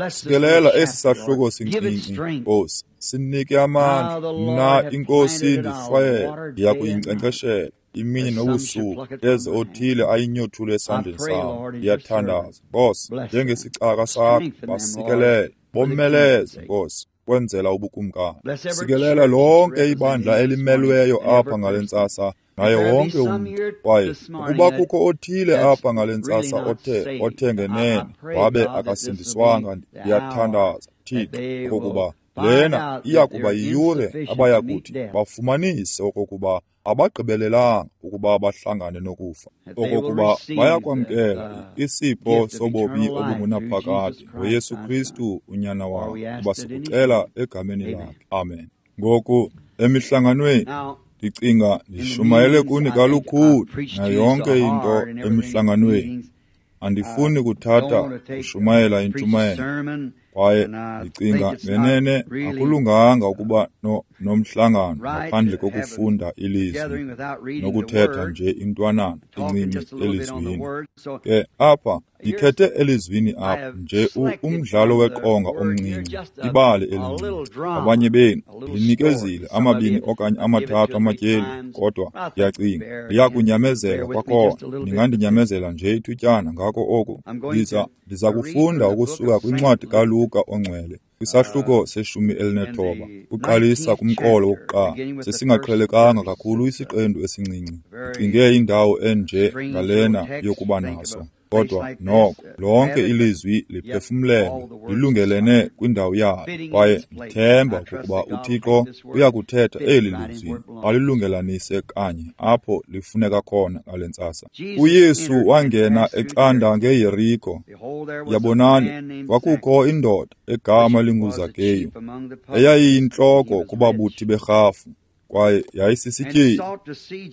Sikelela esi sahluko sincinci, Nkosi, sinike amandla. Mna iNkosi ndihlwayele, ndiya kuyinkcenkceshela imini nobusuku, eze othile ayinyothule esandleni sam. Ndiyathandaza, Nkosi, njengesicaka sakho, basikelele, bomeleze, Nkosi, kwenzela ubukumkani. Sikelela lonke ibandla elimelweyo apha ngale ntsasa, naye wonke umntu. Kwaye ukuba kukho othile apha ngale ntsasa othe othe ngenene wabe akasindiswanga, ndiyathandaza, Thixo, okokuba lena iya kuba yiyure abayakuthi bafumanise okokuba abagqibelelanga ukuba bahlangane nokufa, okokuba bayakwamkela isipho sobomi obungunaphakade ngoYesu Kristu uNyana wakhe, kuba sikucela egameni lakhe. Amen. Ngoku emihlanganweni ndicinga ndishumayele kuni kalukhulu nayo yonke into emihlanganweni. Andifuni kuthatha kushumayela intshumayelo, kwaye ndicinga ngenene akulunganga ukuba no nomhlangano ngaphandle kokufunda ilizwi nokuthetha nje intwanana encinci elizwini. Ke apha ndikhethe elizwini apha nje umdlalo weqonga omncinci, ibali elincinci. Abanye benu ndinikezile amabini okanye amathathu amatyeli, kodwa ndiyacinga ndiyakunyamezela kwakhona. Ningandinyamezela nje ithutyana ngako oku. Ndiza ndiza kufunda ukusuka kwincwadi kaLuka oNgcwele, kwisahluko seshumi elinethoba, uqalisa kumqolo wokuqala. Sesingaqhelekanga kakhulu isiqendu esincinci. Ndicinge indawo enje ngalena yokuba naso. Kodwa noko lonke ilizwi liphefumlelwe, lilungelene kwindawo yalo, kwaye ndithemba ukuba uThixo uyakuthetha eli lizwi alilungelanise kanye apho lifuneka khona ngale ntsasa. UYesu wangena ecanda ngeYeriko. Yabonani, kwakukho indoda egama linguZakeyu, eyayiyintloko kubabuthi berhafu, kwaye yayisisityebi.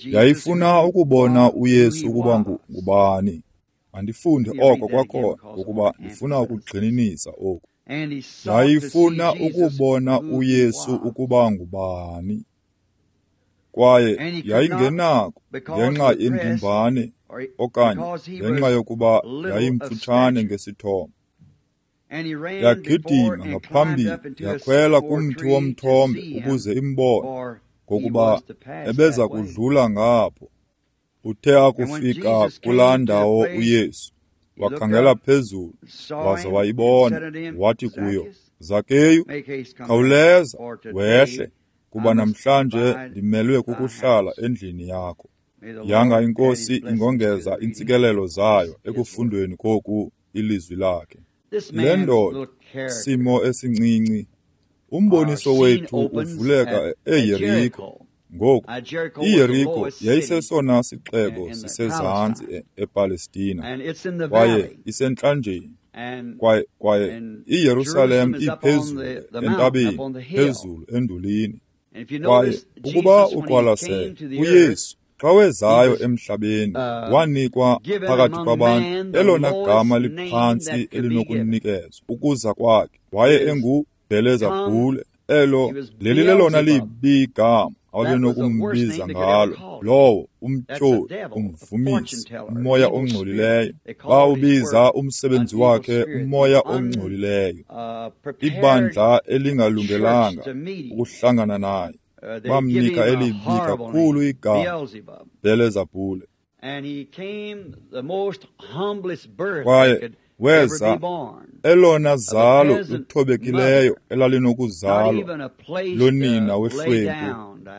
Yayifuna ukubona uYesu ukuba ngubani. Andifunde oko kwakhona ngokuba ndifuna ukugxininisa oku. Yayifuna ukubona uYesu ukuba ngubani, kwaye yayingenako ngenxa yendimbane okanye ngenxa yokuba yayimfutshane ngesithomo. Yagidima ngaphambili yakhwela kumthi womthombe ukuze imbone, ngokuba ebeza kudlula ngapho. Uthe akufika kulaa ndawo uYesu, wakhangela phezulu, waza wayibona, wathi kuyo, Zakeyu, khawuleza wehle, kuba namhlanje ndimelwe kukuhlala endlini yakho. Yanga iNkosi ingongeza iintsikelelo zayo ekufundweni koku ilizwi lakhe. Le ndoda, simo esincinci, umboniso wethu uvuleka eYeriko. Ngoku, iYeriko yayisesona sixeko sisezantsi ePalestina, kwaye isentlanjeni, kwaye kwaye iYerusalem iphezulu entabeni, phezulu endulini. Kwaye ukuba uqwalasele, uYesu Xa wezayo emhlabeni, wanikwa phakathi kwabantu elona gama liphantsi elinokunikezwa ukuza kwakhe. Waye enguBhelezabhule, elo leli lelona libi igama ababenokumbiza ngalo, lowo umtyholi, umvumisi, umoya ongcolileyo. Bawubiza umsebenzi wakhe umoya ongcolileyo. Ibandla elingalungelanga ukuhlangana naye bamnika elibi kakhulu igama, Bhelezabhule. Kwaye weza elona zalo luthobekileyo elalinokuzalwa lonina wehlwempu,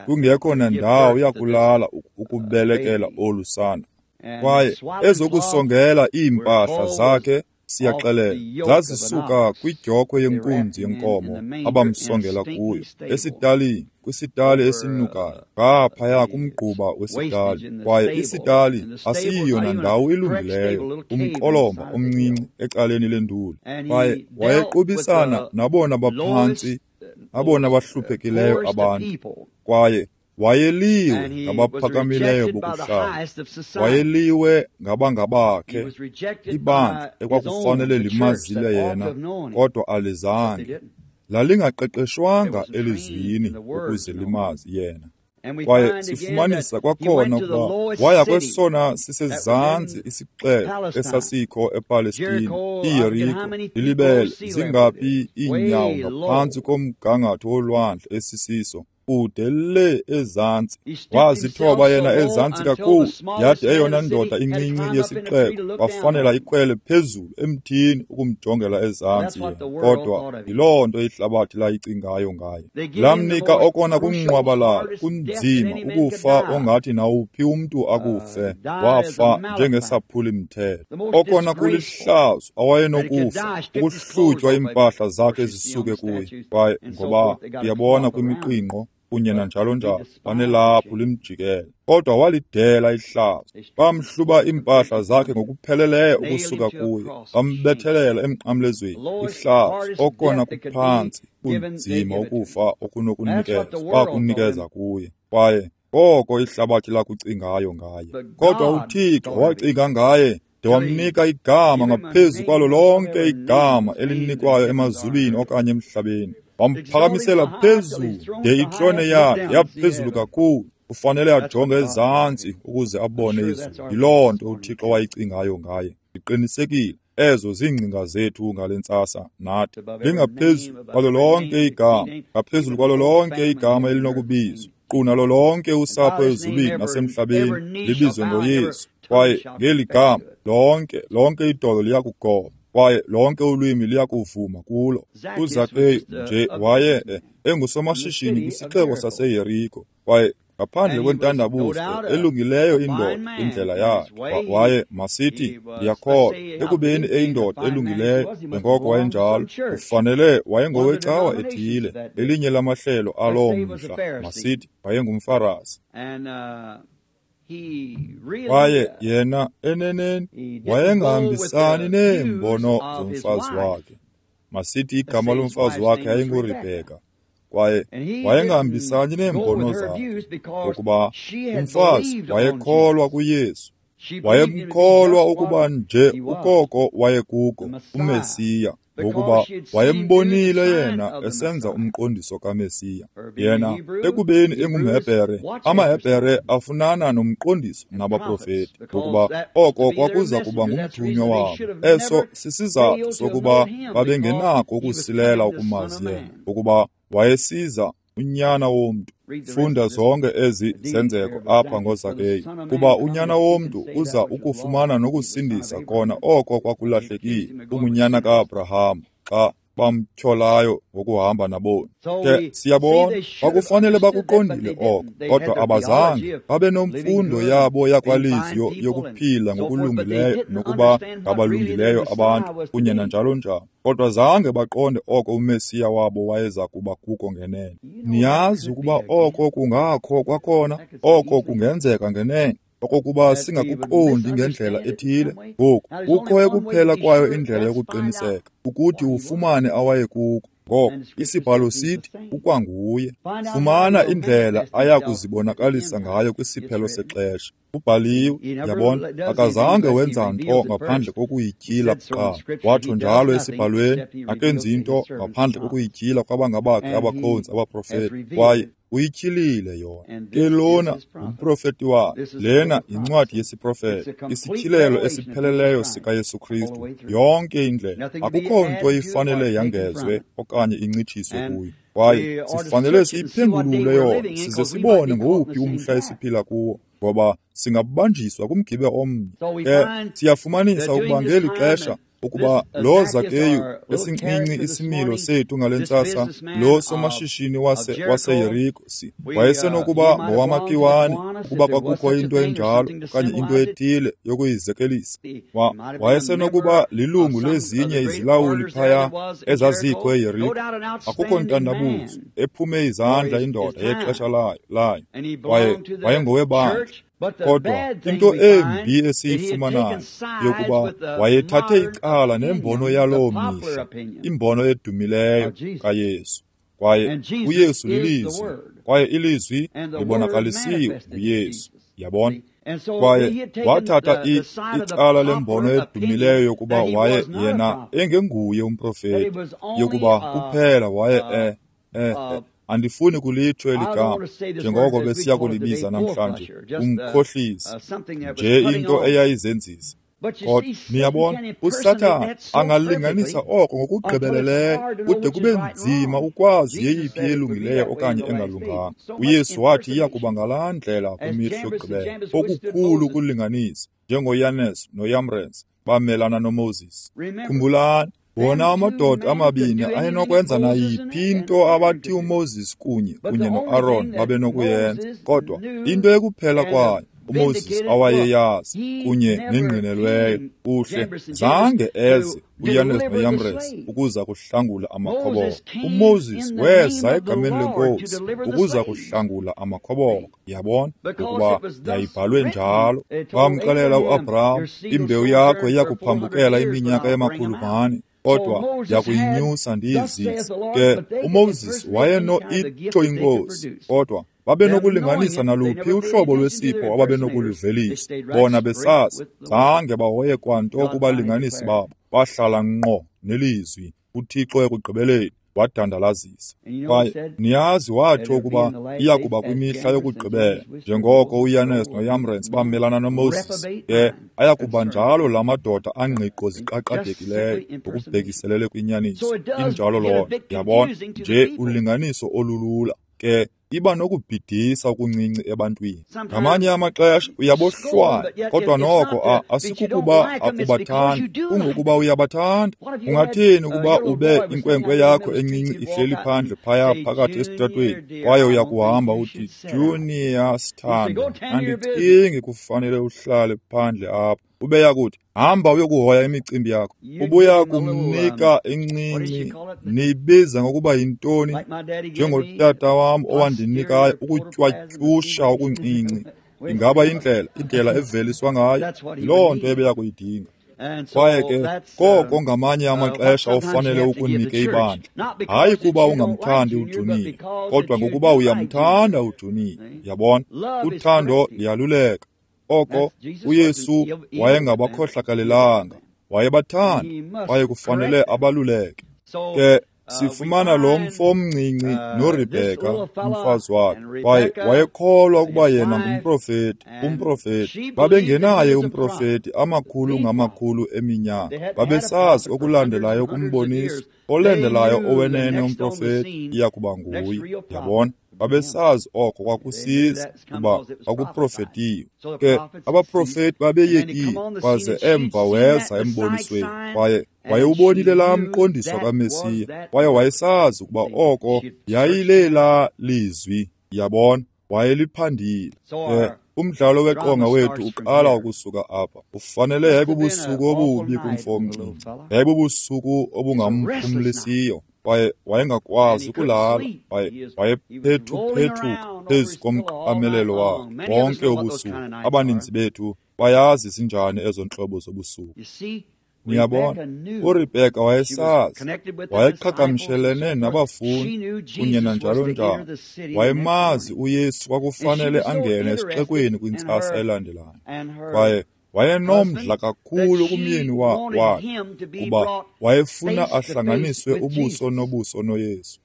kungekho nandawo yakulala ukubelekela olu sana. Kwaye ezokusongela iimpahla zakhe, siyaxelela, zazisuka kwidyokhwe yenkunzi yenkomo abamsongela kuyo, esitalini, kwisitali esinukayo, ngaphaya kumgquba wesitali. Kwaye isitali asiyiyo nandawo ilungileyo, umqolomba omncinci ecaleni lenduli. Kwaye wayequbisana nabona baphantsi, abona bahluphekileyo abantu. Kwaye wayeliwe ngabaphakamileyo bokuhlala, wayeliwe ngabangabakhe, ibandla ekwakufanele limazile yena, kodwa alizange. Lalingaqeqeshwanga elizwini ukuze limazi yena. Kwaye sifumanisa kwakhona ukuba waya kwesona sisezantsi isixeko esasikho ePalestina, iYeriko, ilibele zingaphi iinyawo ngaphantsi komgangatho wolwandle esisiso, kude le ezantsi. Wazithoba yena ezantsi kakhulu, yade eyona ndoda incinci yesixeko wafanela ikhwele phezulu emthini ukumjongela ezantsi yena. Kodwa yiloo nto ihlabathi layicingayo ngaye. Lamnika okona kunqwabalala, kunzima ukufa ongathi nawuphi umntu akufe. Wafa njengesaphuli-mthetho. Okona kulihlazo awayenokufa, ukuhlutywa iimpahla zakhe zisuke kuye. Kwaye ngoba uyabona kwimiqingqo kunye nanjalo njalo, banelaphu limjikele. Kodwa walidela ihlazo. Bamhluba iimpahla zakhe ngokupheleleyo ukusuka kuye, bambethelela emnqamlezweni. Ihlazo, okona kuphantsi, kunzima ukufa okunokunikezwa, bakunikeza kuye. Kwaye koko ihlabathi lakucingayo ngaye. Kodwa uThixo wacinga ngaye de wamnika igama ngaphezu kwalo lonke igama elinikwayo emazulwini okanye emhlabeni. Wamphakamisela phezulu de itrone yakhe yaphezulu kakhulu. Ufanele ajonge ezantsi ukuze abone izulu. Yiloo nto uThixo wayicingayo ngaye. Ndiqinisekile ezo ziingcinga zethu ngale ntsasa nathi. Lingaphezu kwalo lonke igama, ngaphezulu kwalo lonke igama elinokubizwa, nkqu nalo lonke usapho ezulwini nasemhlabeni libizwe ngoYesu. Kwaye ngeli gama lonke lonke idolo liyakugoba, kwaye lonke ulwimi liyakuvuma kulo. UZakeyu nje waye engusomashishini kwisixeko saseYeriko, kwaye ngaphandle kwentandabuzo elungileyo indoda indlela yakhe. Waye masithi ndiyakholwa ekubeni eyindoda elungileyo njengoko wayenjalo, ufanele wayengowecawa ethile, elinye lamahlelo aloo mhla, masithi wayengumFarasi. Kwaye yena eneneni wayengahambisani neembono zomfazi wakhe. Masithi igama lomfazi wakhe yayinguRebheka. Kwaye wayengahambisani neembono zakhe, ngokuba umfazi wayekholwa kuYesu. Wayemkholwa ukuba nje ukoko wayekuko, uMesiya, ngokuba wayembonile yena esenza umqondiso kaMesiya. Yena ekubeni engumHebhere, amaHebhere afunana nomqondiso nabaprofeti, ngokuba oko kwakuza kuba ngumthunywa wabo. Eso sisizathu sokuba babengenako ukusilela ukumazi yena, ngokuba wayesiza unyana womntu. Funda zonke ezi zenzeko apha ngoZakeyu, kuba unyana womntu uza ukufumana nokusindisa kona oko kwakulahlekile, ungunyana ka-Abraham, xa bamtyholayo ngokuhamba naboni. Ke siyabona kwakufanele bakuqondile oko, kodwa abazange babe nomfundo yabo yakwalizwi yokuphila ngokulungileyo nokuba ngabalungileyo abantu kunye nanjalo njalo. Kodwa zange baqonde oko uMesiya wabo wayeza kuba kuko ngenene. Niyazi ukuba oko kungakho kwakhona, oko kungenzeka ngenene, okokuba singakuqondi ngendlela ethile. Ngoku kukho ekuphela kwayo indlela yokuqiniseka, ukuthi ufumane awayekuko. Ngoko isibhalo sithi ukwanguye. Fumana indlela aya kuzibonakalisa ngayo kwisiphelo sexesha. Ubhaliwe, yabona, akazange wenza nto ngaphandle kokuyityhila kuqala. Watsho njalo esibhalweni, akenzi nto ngaphandle kokuyityhila kwabangabakhe abakhonzi abaprofeti, kwaye uyityhilile yona. Ke lona ngumprofeti wakhe. Lena yincwadi yesiprofeto, isityhilelo esipheleleyo sikaYesu Kristu yonke indlela. Akukho nto ifanele yangezwe okanye incitshiswe kuyo. Kwaye sifanele siyiphengulule yona size sibone ngowuphi umhla esiphila kuwo, ngoba singabanjiswa kumgibe omnye. Ke siyafumanisa ukuba ngeli xesha ukuba lo Zakeyu esincinci isimilo sethu ngale ntsasa, lo somashishini wase waseYeriko wayesenokuba ngowamakiwane ukuba kwakukho into enjalo okanye into ethile yokuyizekelisa. Wayesenokuba lilungu lezinye izilawuli phaya ezazikho eYeriko. Akukho ntandabuzo, ephume izandla indoda yexesha layo layo kwaye wayengowebandla. Kodwa into embi esiyifumanayo yokuba wayethathe icala nembono yaloo mihla, imbono edumileyo kaYesu. Kwaye uYesu lilizwi, kwaye ilizwi libonakalisiwe nguYesu. Yabona? Kwaye wathatha icala lembono edumileyo yokuba waye yena engenguye umprofeti, yokuba kuphela waye e e andifuni kulitsho eli gama njengoko besiya kulibiza namhlanje, umkhohlisi, nje into eyayizenzisa. Kodwa niyabona, uSathana angalinganisa oko ngokugqibeleleyo kude kube nzima ukwazi yeyiphi elungileyo okanye engalunganga. UYesu wathi iya kuba ngalaa ndlela kwimihla yokugqibela, okukhulu ukulinganisa, njengoYanes noYamres bamelana noMoses. Khumbulani, wona amadoda amabini ayenokwenza nayiphi into abathi uMoses kunye kunye noAron babenokuyenza, kodwa into ekuphela kwayo uMoses awayeyazi kunye nengqinelweyo uhle zange eze uYanes noYamres ukuza kuhlangula amakhoboka. UMoses weza egameni leNkosi ukuza kuhlangula amakhoboka. Yabona, ukuba yayibhalwe njalo. Bamxelela uAbraham, imbewu yakho iya kuphambukela iminyaka emakhulu mane, kodwa yakuyinyusa ndiyizise. Ke uMoses wayeno itsho inkosi, kodwa babenokulinganisa naluphi uhlobo lwesipho ababenokuluvelisa. Bona besazi, zange bahoye kwanto kubalinganisi babo, bahlala ngqo nelizwi. UThixo ekugqibeleni wadandalazisa. Kwaye niyazi watsho ukuba iya kuba kwimihla yokugqibela, njengoko uYanes noYamres bamelana noMoses, ke aya kuba njalo la madoda angqiqo ziqaqadekileyo ngokubhekiselele kwinyaniso. Injalo loo nto, yabona, nje ulinganiso olulula. Ke iba nokubhidisa okuncinci ebantwini. Ngamanye amaxesha uyabohlwaya, kodwa noko asikukuba akubathandi, kungokuba uyabathanda. Ungathini ukuba ube inkwenkwe yakho encinci ihleli phandle phaya phakathi esitratweni, kwaye uyakuhamba uthi, Junior sithando, andicingi kufanele uhlale phandle apha. Ubeya kuthi, hamba uyokuhoya imicimbi yakho. Ubuya kumnika encinci, niyibiza ngokuba yintoni, njengotata wam owandinikayo ukutywatyusha okuncinci. Ingaba indlela, indlela eveliswa ngayo, yiloo nto ebeya kuyidinga. Kwaye ke koko ngamanye amaxesha ofanele ukunike ibandla, hayi kuba ungamthandi uJunior, kodwa ngokuba uyamthanda uJunior. Yabona, uthando liyaluleka. Oko uYesu wayengabakhohlakalelanga, wayebathanda, kwaye kufanele abaluleke. Ke sifumana lo mfo omncinci noRebheka umfazi wakhe, kwaye wayekholwa ukuba yena ngumprofeti, umprofeti. Babengenaye umprofeti amakhulu ngamakhulu eminyaka, babesazi okulandelayo kumboniso, olandelayo owenene umprofeti iya kuba nguye. Yabona, babesazi oko kwakusiza kuba kwakuprofetiwe. Ke abaprofeti babeyekile, kwaze emva weza embonisweni, kwaye wayewubonile laa mqondiso kaMesiya, kwaye wayesazi ukuba oko yayilelaa lizwi. Yabona, wayeliphandile. Ke umdlalo weqonga wethu uqala ukusuka apha. Ufanele yayibubusuku obubi kumfo omncinci, yayibubusuku obungamphumlisiyo, kwaye wayengakwazi ukulala, kwaye wayephethu-phethuka phezu komqamelelo wakhe bonke ubusuku. Abaninzi bethu bayazi zinjani ezo ntlobo zobusuku. Niyabona, uRebheka wayesazi, wayeqhagamshelene nabafundi kunye nanjalo njalo. Wayemazi uYesu kwakufanele angene esixekweni kwintsasa elandelayo. Kwaye wayenomdla kakhulu kumyeni wakhe kuba wayefuna ahlanganiswe ubuso nobuso noYesu.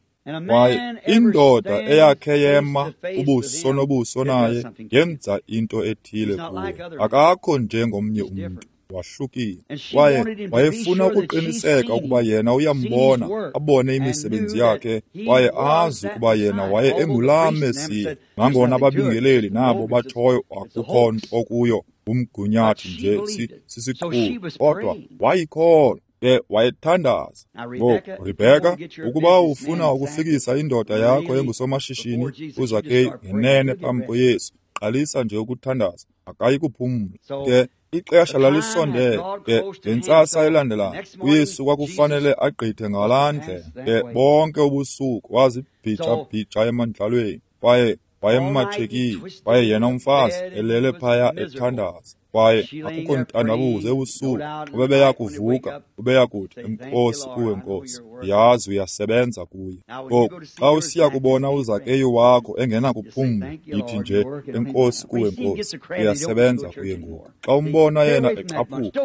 Kwaye indoda eyakhe yema ubuso nobuso naye yenza into ethile kuye. Akakho njengomnye umntu, wahlukile. Kwaye wayefuna ukuqiniseka ukuba yena uyambona, abone imisebenzi yakhe, kwaye azi ukuba yena waye engulaa Mesiya. Nangona ababingeleli nabo batshoyo akukho nto kuyo, ngumgunyathi nje, sisiqhubu, kodwa wayikholwa. Ke wayethandaza. Ngoku, Rebheka, ukuba ufuna ukufikisa indoda yakho engusomashishini uZakeyu ngenene phambi koYesu, qalisa nje ukuthandaza, akayi kuphumla. Ke ixesha lalisondele. Ke ngentsasa elandelayo uYesu kwakufanele agqithe ngalaa ndlela. Ke bonke ubusuku wazibhija-bhija emandlalweni, kwaye wayematshekile, kwaye yena umfazi elele phaya ethandaza. Kwaye akukho ntandabuzo ebusuku ubebeya kuvuka, ubeya kuthi, enkosi kuwe Nkosi, yazi uyasebenza kuye. Ngoku xa usiya kubona uZakeyu wakho engenakuphumla, yithi nje, enkosi kuwe Nkosi, uyasebenza kuye ngoku. Xa umbona yena ecaphuka,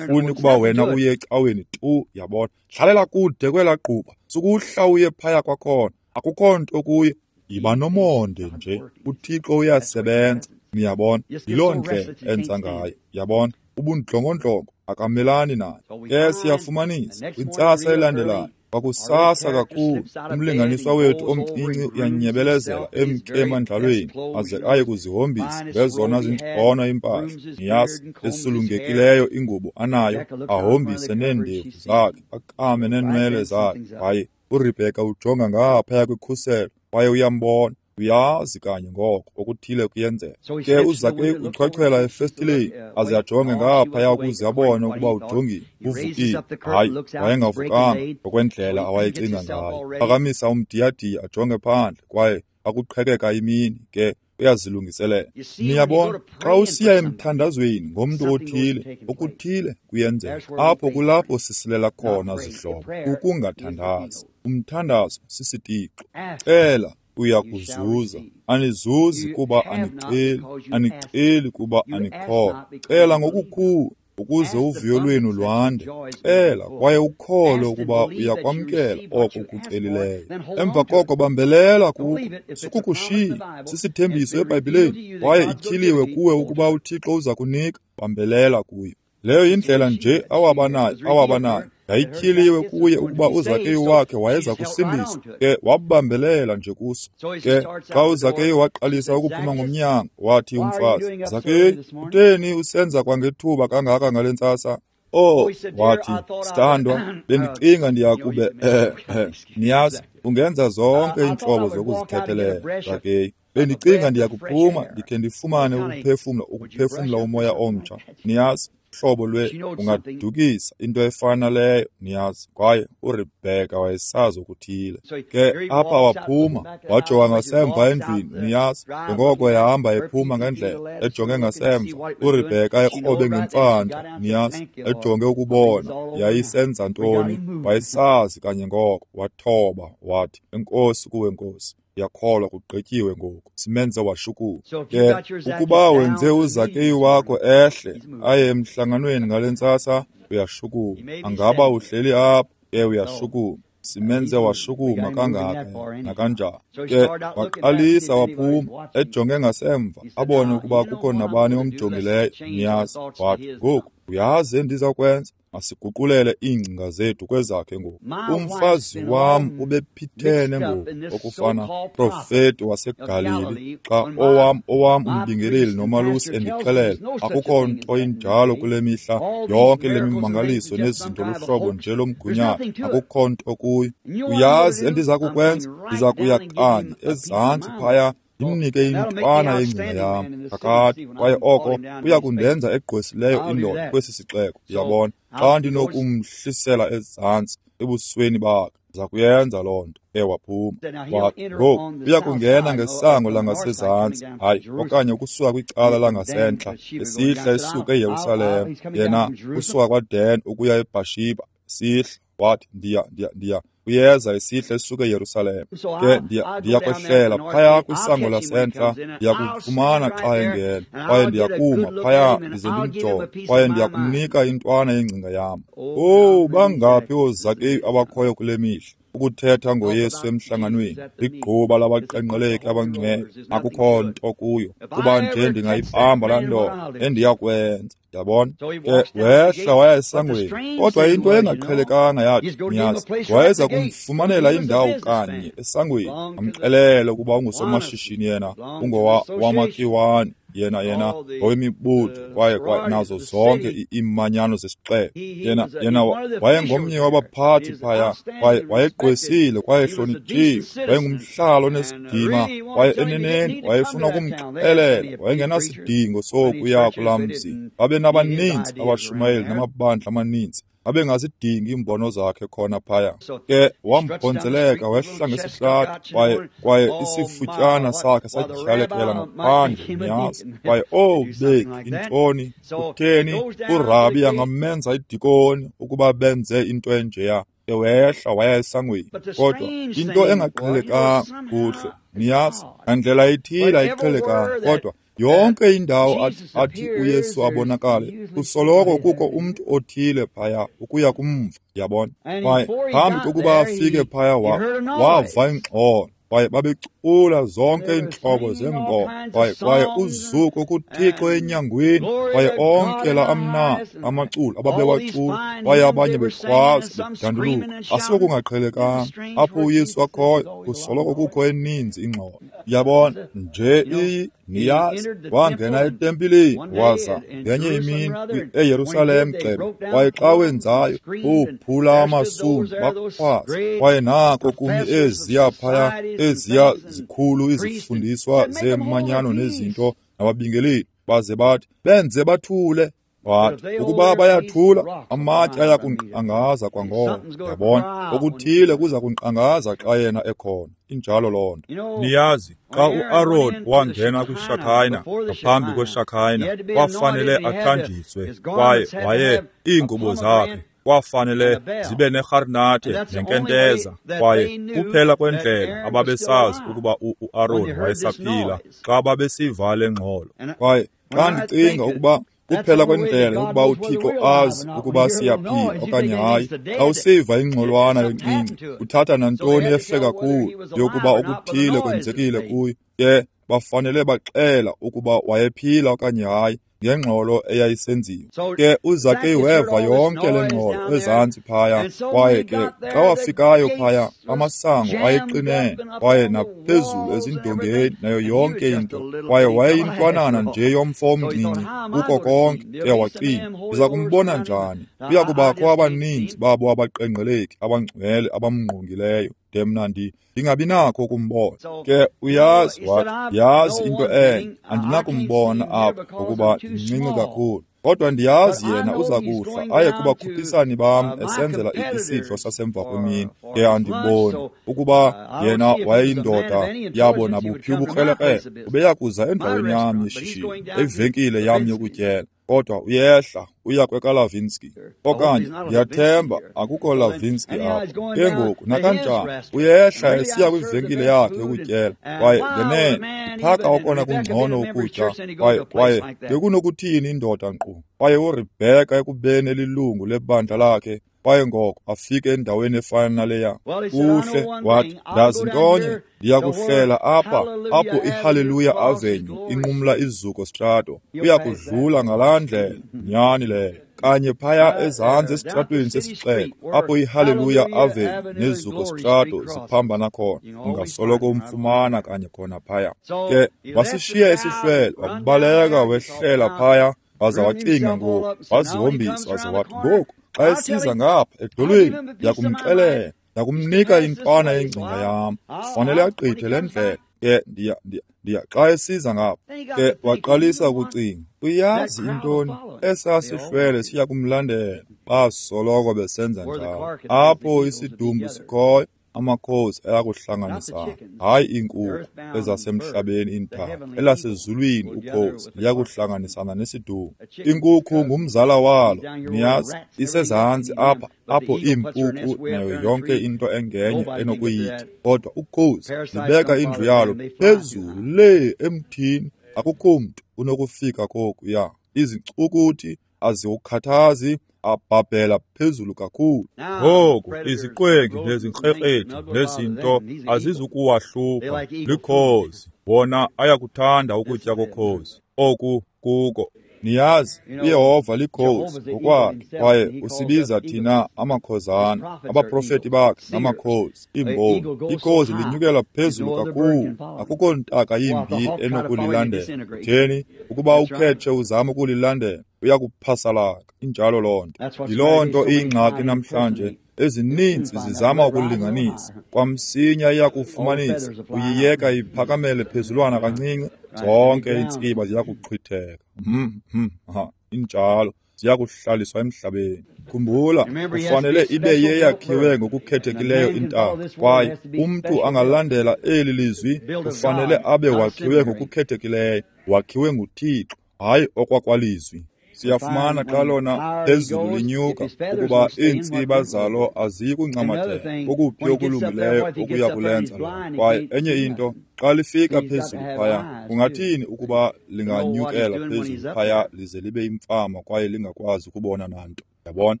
funi kuba wena uye ecaweni tu, yabona. Hlalela kude kwelaa gquba, sukuhla uye phaya kwakhona, akukho nto kuye. Yiba nomonde nje, uThixo uyasebenza. Niyabona, yiloo ndlela enza ngayo. Yabona, ubundlongondlongo akamelani nayo. Ke siyafumanisa kwintsasa elandelayo, kwakusasa kakhulu, umlinganiswa wethu omncinci uyanyebelezela emke emandlalweni aze aye kuzihombisa ngezona zingcono iimpahla, niyazi, esulungekileyo ingubo anayo, ahombise neendevu zakhe, akame neenwele zakhe. Kwaye uRebheka ujonga ngaphaya kwikhuselo kwaye uyambona. Uyazi kanye ngoko okuthile kuyenzeka. Ke uZakeyu uchwechwela efestileni aze ajonge ngaphaya ukuze abone ukuba ujongile, uvukile. Hayi, wayengavukanga ngokwendlela awayecinga ngayo. Phakamisa umdiyadiya ajonge phandle kwaye akuqhekeka imini, ke uyazilungiselela. Niyabona, xa usiya emthandazweni ngomntu othile, okuthile kuyenzeka. Apho kulapho sisilela khona, zihlobo, ukungathandazi. Umthandazo sisitixo. Cela, uya kuzuza. Anizuzi kuba aniceli, aniceli kuba anikholwa. Cela ngokukhulu ukuze uvuyo lwenu lwande. Cela kwaye ukholwe ukuba uyakwamkela oko ukucelileyo. Emva koko bambelela kuko, sukukushiya. Sisithembiso eBhayibhileni kwaye ityhiliwe kuwe ukuba uThixo uza kunika. Bambelela kuyo. Leyo yindlela nje awabanayo, awabanayo. Yayityhiliwe kuye ukuba uZakeyu wakhe wayeza kusindiswa. Ke wabambelela nje kuso. Ke xa uZakeyu waqalisa ukuphuma ngomnyango, wathi umfazi, Zakeyu, kutheni usenza kwangethuba kangaka ngale ntsasa? Oh, wathi, sithandwa, bendicinga ndiyakube, eh, eh, niyazi, ungenza zonke iintlobo zokuzithethelela, Zakeyu. Bendicinga ndiyakuphuma ndikhe ndifumane ukuphefumla, ukuphefumla umoya omtsha, niyazi. Hlobo lwe ungadukisa into efana leyo, niyazi. Kwaye uRebheka wayesazi okuthile. Ke apha waphuma wajonga ngasemva endlwini, niyazi, njengoko ehamba ephuma ngendlela ejonge ngasemva, uRebheka ekrobe ngemfanta, niyazi, ejonge ukubona yayisenza ntoni. Wayesazi kanye ngoko, wathoba wathi, enkosi kuwe Nkosi, ndiyakholwa kugqityiwe ngoku, simenze washukuma. Ke ukuba wenze uZakeyu wakho ehle aye emhlanganweni ngale ntsasa, uyashukuma. Angaba uhleli apha, ke uyashukuma. Simenze washukuma kangaka nakanjani. Ke waqalisa waphuma ejonge ngasemva, abone ukuba kukho nabani omjongileyo, niyazi. Wathi, ngoku uyazi endiza kwenza, masiguqulele iingcinga zethu kwezakhe ngoku. Umfazi wam ubephithene ngoku okufana profeti waseGalili, xa owam owam umbingeleli nomalusi endixelela akukho nto injalo kule mihla, yonke le mimangaliso nezinto luhlobo nje lomgunyathi, akukho nto kuyo. Uyazi endiza kukwenza, ndiza kuya kanye ezantsi phaya ndimnike intwana yengcinga yam kakade, kwaye oko kuya kundenza egqwesileyo indoda kwesi sixeko. Uyabona, xa ndinokumhlisela ezantsi ebusweni bakhe. Ndiza kuyenza loo nto. Ewaphuma. Wathi, ngoku uya kungena ngesango langasezantsi, hayi, okanye ukusuka kwicala langasentla, esihla esuka eYerusalem. Yena usuka kwaDan ukuya eBhashiba, esihla. Wathi, ndiya, ndiya, ndiya. Uyeza esihla esuka eYerusalem. Ke ndiya, ndiya kwehlela phaya kwisango lasentla, ndiya kumfumana xa engena, kwaye ndiya kuma phaya ndize ndimjonge, kwaye ndiya kumnika intwana yengcinga yam. Owu, bangaphi ooZakeyu abakhoyo kule mihla ukuthetha ngoYesu emhlanganweni, ligquba labaqenqeleki abangcwele, akukho nto kuyo, kuba nje ndingayibamba laa ndoda endiyakwenza. Yabona? Ke wehla waya esangweni, kodwa into engaqhelekanga yathi, niyazi, wayeza kumfumanela indawo kanye esangweni, amxelele ukuba ungusomashishini yena, ungowa wamakiwane, yena yena ngowemibutho, kwaye kwaye nazo zonke iimanyano zesixeko. Yena yena wayengomnye wabaphathi phaya, kwaye wayegqwesile, kwaye ehlonitshiwe, wayengumhlalo onesidima, kwaye eneneni wayefuna ukumxelela, wayengenasidingo sokuya kulaa mzi. Babenabaninzi abashumayeli namabandla amaninzi, babengazidingi iimbono zakhe khona phaya. Ke wambhonzeleka wehla ngesihlati, kwaye kwaye isifutyana sakhe satyhalekela ngaphandle, niyazi. Kwaye owu beki, intoni, kutheni urabi angamenza idikoni ukuba benze into enjeya? Ke wehla waya esangweni. Kodwa into engaqhelekanga kuhle, niyazi, ngandlela ithile ayiqhelekanga, kodwa yonke indawo athi uYesu abonakale, kusoloko kukho umntu othile phaya ukuya kumva, yabona. Kwaye phambi kokuba afike phaya wava ingxolo, kwaye babecula zonke iintlobo zeengoma, kwaye kwaye uzuko kuThixo enyangweni, kwaye onke la amnandi amaculo ababewacula, kwaye abanye bekhwaza bedanduluka. Asiko kungaqhelekanga apho uYesu akhoyo, kusoloko kukho eninzi ingxolo, yabona. Nje iyi niyazi, wangena etempileni waza ngenye imini eYerusalem gxebe, kwaye xa wenzayo uphula amasundu bakhwaza, kwaye nako kumi eziya phaya eziya zikhulu izifundiswa zeemanyano nezinto nababingeleli, baze bathi benze bathule. Wathi ukuba bayathula, amatye aya kunkqangaza kwangoko. Yabona, okuthile kuza kunkqangaza xa yena ekhona. Injalo loo nto. Niyazi, xa uAron wangena kwiShakayina, ngaphambi kweShakayina, kwafanele athanjiswe, kwaye waye iingubo zakhe kwafanele zibe nerharnathe nenkenteza, kwaye kuphela kwendlela ababesazi ukuba uAron wayesaphila xa babesiva le ngxolo. Kwaye xa ndicinga ukuba kuphela kwendlela yokuba uThixo azi ukuba siyaphila okanye hayi, xa usiva ingxolwana encinci, uthatha nantoni ehle kakhulu yokuba okuthile kwenzekile kuyo, ke bafanele baxela ukuba wayephila okanye hayi ngengxolo eyayisenziwa. Ke uZakeyu weva yonke le ngxolo ezantsi phaya, kwaye ke xa wafikayo phaya, amasango ayeqinene, kwaye naphezulu ezindongeni nayo yonke into, kwaye wayeyintwanana nje yomfo omncinci kuko konke. Ke wacinga, ndiza kumbona njani? Kuya kubakho abaninzi babo abaqenqeleki abangcwele abamngqongileyo, de mna ndi ndingabi nakho ukumbona. Ke uyazi, wathi, yazi into enye, andinakumbona apha ngokuba ndincinci kakhulu, kodwa ndiyazi yena uza kuhla aye kubakhuphisani bam esenzela isidlo sasemva kwemini. Ke andiboni ukuba yena wayeyindoda yabo nabuphi ubukrelekrele, ubeya kuza endaweni yam yeshishini, evenkile yam yokutyela. Kodwa uyehla uya kwekaLavinsky, okanye ndiyathemba akukho Lavinsky apho. Ke ngoku nakanjani uyehla esiya kwivenkile yakhe yokutyela, kwaye ngenene iphaka okona kungcono ukutya, kwaye kwaye bekunokuthini indoda nkqu. Kwaye uRebheka ekubeni elilungu lebandla lakhe, kwaye ngoko afike endaweni efana naleya. Kuhle, wathi, ndazi ntonye, ndiya kuhlela apha apho iHallelujah Avenue inqumla iZuko Strato, uya kudlula ngalaa ndlela, nyani leyo, kanye phaya ezantsi esitratweni sesixeko apho iHallelujah Avenue neZuko Strato ziphambana khona, ungasoloko umfumana kanye khona phaya. Ke wasishiya isihlwele, wabaleka wehlela phaya, waza wacinga ngoku, wazihombisa, waze wathi, ngoku xa esiza ngapha edolweni ndiya kumxelela, Ndakumnika intwana yengcinga yam. Kufanele agqithe le ndlela. Ke ndiya ndiya ndiya xa esiza ngapha. Ke waqalisa ukucinga, uyazi intoni? Esaa sihlwele siya kumlandela. Basoloko besenza njalo. Apho isidumbu sikhoyo, amakhosi ayakuhlanganisana, hayi iinkukhu ezasemhlabeni iintaka, elasezulwini ukhosi liyakuhlanganisana nesidumbu. Inkukhu ngumzala walo, niyazi, isezantsi apha apho iimpuku nayo yonke into engenye enokuyitya. Kodwa ukhosi libeka indlu yalo phezulu lee emthini, akukho mntu unokufika kokuya. Izincukuthi aziwukhathazi, abhabhela phezulu kakhulu. Ngoku iziqwengi nezinkrekrethi nezinto azizukuwahlupha, likhozi. Wona ayakuthanda ukutya kokhozi. Oku kuko. Niyazi, uYehova likhozi ngokwakhe, kwaye usibiza thina amakhozana, abaprofeti bakhe namakhozi, iimboni. Ikhozi linyukela phezulu kakhulu, akukho ntaka yimbi enokulilandela. Theni ukuba ukhetshe uzama ukulilandela, uyakuphasalaka. Injalo loo nto. Yiloo nto iyingxaki namhlanje. Ezininzi zizama ukulinganisa, kwamsinya iyakufumanisa, uyiyeka iphakamele phezulwana kancinci, zonke iintsiba ziyakuqhwitheka. Hmm, hmm, ha, injalo, ziyakuhlaliswa emhlabeni. Khumbula, kufanele ibe yeyakhiwe ngokukhethekileyo intaka, kwaye umntu angalandela eli lizwi kufanele abe wakhiwe ngokukhethekileyo, wakhiwe nguThixo, hayi okwakwalizwi. Siyafumana xa lona phezulu linyuka ukuba iintsiba zalo aziyi kuncamathela kokuphi okulungileyo okuya kulenza lona. Kwaye enye into, xa lifika phezulu phaya, kungathini ukuba linganyukela phezulu phaya lize libe imfama kwaye lingakwazi ukubona nanto? Yabona,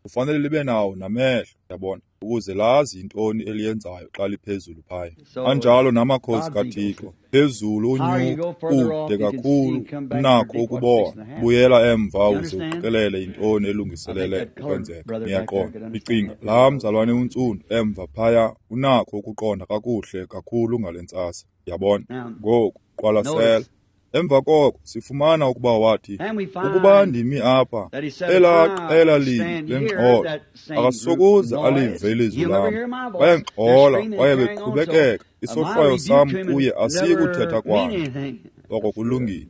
kufanele libe nawo namehlo, yabona, ukuze lazi intoni eliyenzayo xa liphezulu phaya. Anjalo namakhosi kaThixo, phezulu unyuka kude kakhulu, unakho ukubona. Buyela emva uze uqikelele intoni elungiselele ukwenzeka. Niyaqonda? Ndicinga laa mzalwane untsundu emva phaya unakho ukuqonda kakuhle kakhulu ngale ntsasa. Yabona? Ngoku qwalasela. Emva koko sifumana ukuba wathi, ukuba ndimi apha, elaa qela linye lengxolo akasokuze alive ilizwi lam. Bayangxola kwaye beqhubekeka, isohlwayo sam kuye asiyi kuthetha kwanto. Oko kulungile.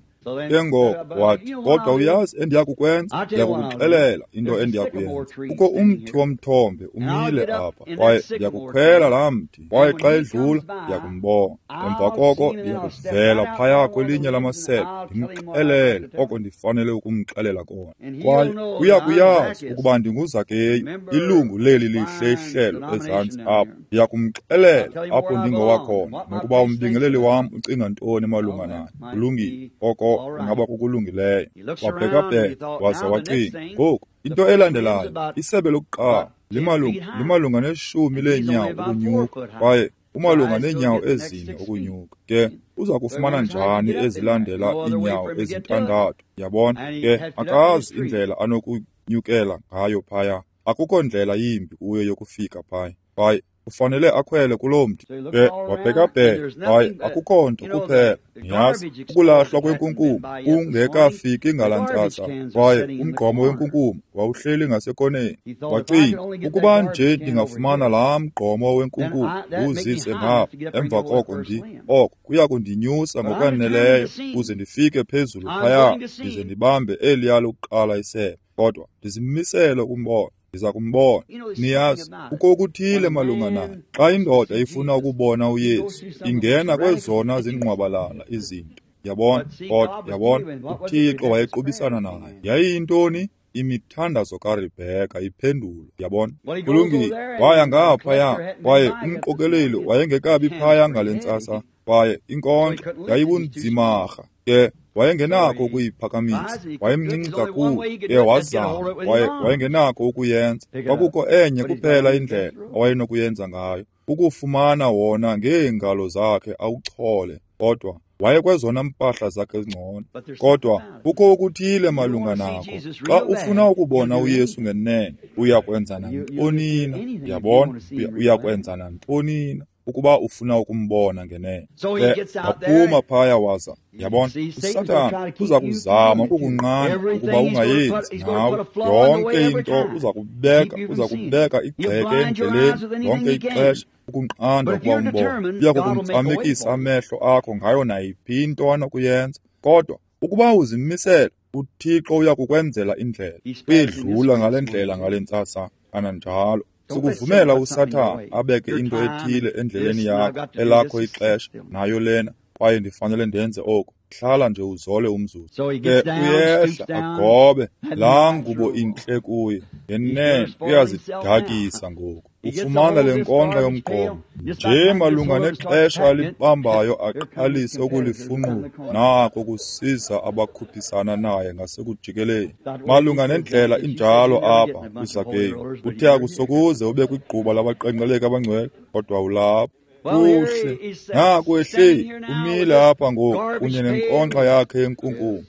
Ke ngoko wathi, kodwa uyazi endiya kukwenza? Ndiya kukuxelela into endiya kuyenza. Kukho umthi womthombe umile apha, kwaye ndiya kukhwela laa mthi, kwaye xa edlula ndiya kumbona. Emva koko ndiya kuvela phaya kwelinye lamasebe, ndimxelele oko ndifanele ukumxelela kona. Kwaye uya kuyazi ukuba ndinguZakeyu, ilungu leli lihle ihlelo ezantsi apha. Ndiya kumxelela apho ndingowakhona, nokuba umbingeleli wam ucinga ntoni malunga naye. Kulungile. Oko ingaba kukulungileyo. Wabhekabheka waza wacinga, ngoku into elandelayo, isebe lokuqala limalunga limalunga neshumi leenyawo ukunyuka, kwaye umalunga neenyawo ezine ukunyuka. Ke uza kufumana njani ezilandela iinyawo ezintandathu? Yabona? Ke akazi indlela anokunyukela ngayo phaya. Akukho ndlela yimbi kuyo yokufika phaya. Kwaye ufanele akhwele kuloo mthi. Ke wabhekabheka, kwaye akukho nto kuphela. Niyazi, ukulahlwa kwenkunkuma kungekafiki ngalaa ntsasa, kwaye umgqomo wenkunkuma wawuhleli ngasekoneni. Wacinga, ukuba nje ndingafumana laa mgqomo wenkunkuma ndiwuzise ngapha, emva koko ndi oko kuya kundinyusa ngokwaneleyo ukuze ndifike phezulu phaya, ndize ndibambe eliya lokuqala isebe. Kodwa ndizimisele ukumbona. Ndiza kumbona. Niyazi, kukho okuthile malunga naye. Xa indoda ifuna ukubona uYesu, ingena kwezona zingqwabalala izinto. Yabona? Kodwa yabona, uThixo wayequbisana naye. Yayiyintoni? Imithandazo kaRebheka iphendulwa. Yabona? Kulungile. Waya ngaphaya, kwaye umqokeleli wayengekabi phaya ngale ntsasa, kwaye inkonxa yayibunzimarha. Ke wayengenakho ukuyiphakamisa, wayemncinci kakhulu. Ke wazama, kwaye wayengenakho ukuyenza. Kwakukho enye kuphela indlela awayenokuyenza ngayo, ukufumana wona ngeengalo zakhe awuchole. Kodwa wayekwezona mpahla zakhe ezingcono. Kodwa kukho okuthile malunga nako. Xa ufuna ukubona uYesu ngenene, uya kwenza nantoni na? Yabona? Uya kwenza nantoni na ukuba ufuna ukumbona ngenene. Ke waphuma phaya waza, yabona, uSathana uza kuzama ukukunqanda ukuba ungayenzi nawe. Yonke into uza kubeka, uza kubeka igxeke endleleni lonke ixesha ukunqanda ukuba umbone. Uya kukumfamekisa amehlo akho ngayo nayiphi into anokuyenza. Kodwa ukuba uzimisele, uThixo uya kukwenzela indlela. Uyedlula ngale ndlela ngale ntsasa kananjalo. Sukuvumela uSathana abeke into ethile endleleni yakho, elakho ixesha, nayo lena, kwaye ndifanele ndenze oko. Hlala nje uzole umzuzu. Ke uyehla agobe laa ngubo intle kuye. Ngenene uyazidakisa ngoku. Ufumana le nkonxa yomgqomo nje malunga nexesha alibambayo aqalise ukulifunqula. Nako kusiza abakhuphisana naye ngasekujikeleni. Malunga nendlela injalo apha kuZakeyu. Uthe akusokuze ube kwigquba labaqenqeleki abangcwele, kodwa ulapha. Kuhle, naku ehleli umile apha ngoku kunye nenkonxa yakhe yenkunkuma.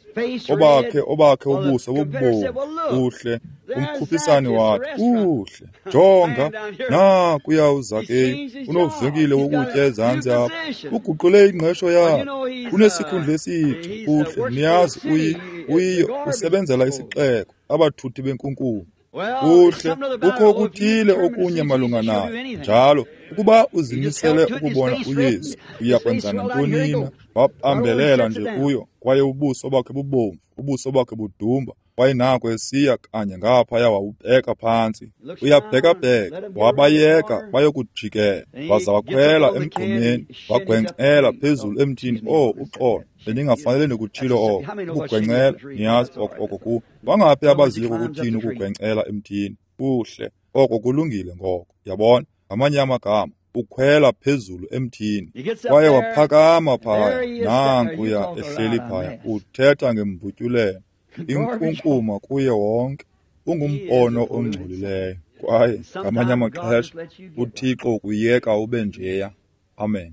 Obakhe obakhe ubuso bubomvu. Kuhle, umkhuphisani wathi, kuhle, jonga, nakuya uZakeyu unovenkile wokutya ezantsi apha. Uguqule ingqesho yakhe, unesikhundla esitsha. Kuhle, niyazi uyi uyiyo usebenzela isixeko, abathuthi benkunkuma. Kuhle, kukho okuthile okunye malunga naye. Njalo, ukuba uzimisele ukubona uYesu, uya kwenza nantoni na? Wabambelela nje kuyo, kwaye ubuso bakhe bubomvu, ubuso bakhe budumba, kwaye nako esiya kanye ngaphaya wawubheka phantsi. Uyabhekabheka, wabayeka bayokujikela, waza wakhwela emgqomeni, wagwencela phezulu emthini. Oh, uxolo, bendingafanele ndikutshilo oko. Ukugwencela, niyazi oko oko ku. Bangaphi abaziyo ukuthini ukugwencela emthini? Kuhle, oko kulungile ngoko. Yabona, ngamanye amagama, ukhwela phezulu emthini. Kwaye waphakama phaya, nankuya ehleli phaya, uthetha ngembutyulelo, inkunkuma kuye wonke. Ungumbono ongcolileyo. Kwaye ngamanye amaxesha uThixo ukuyeka ube njeya. Amen.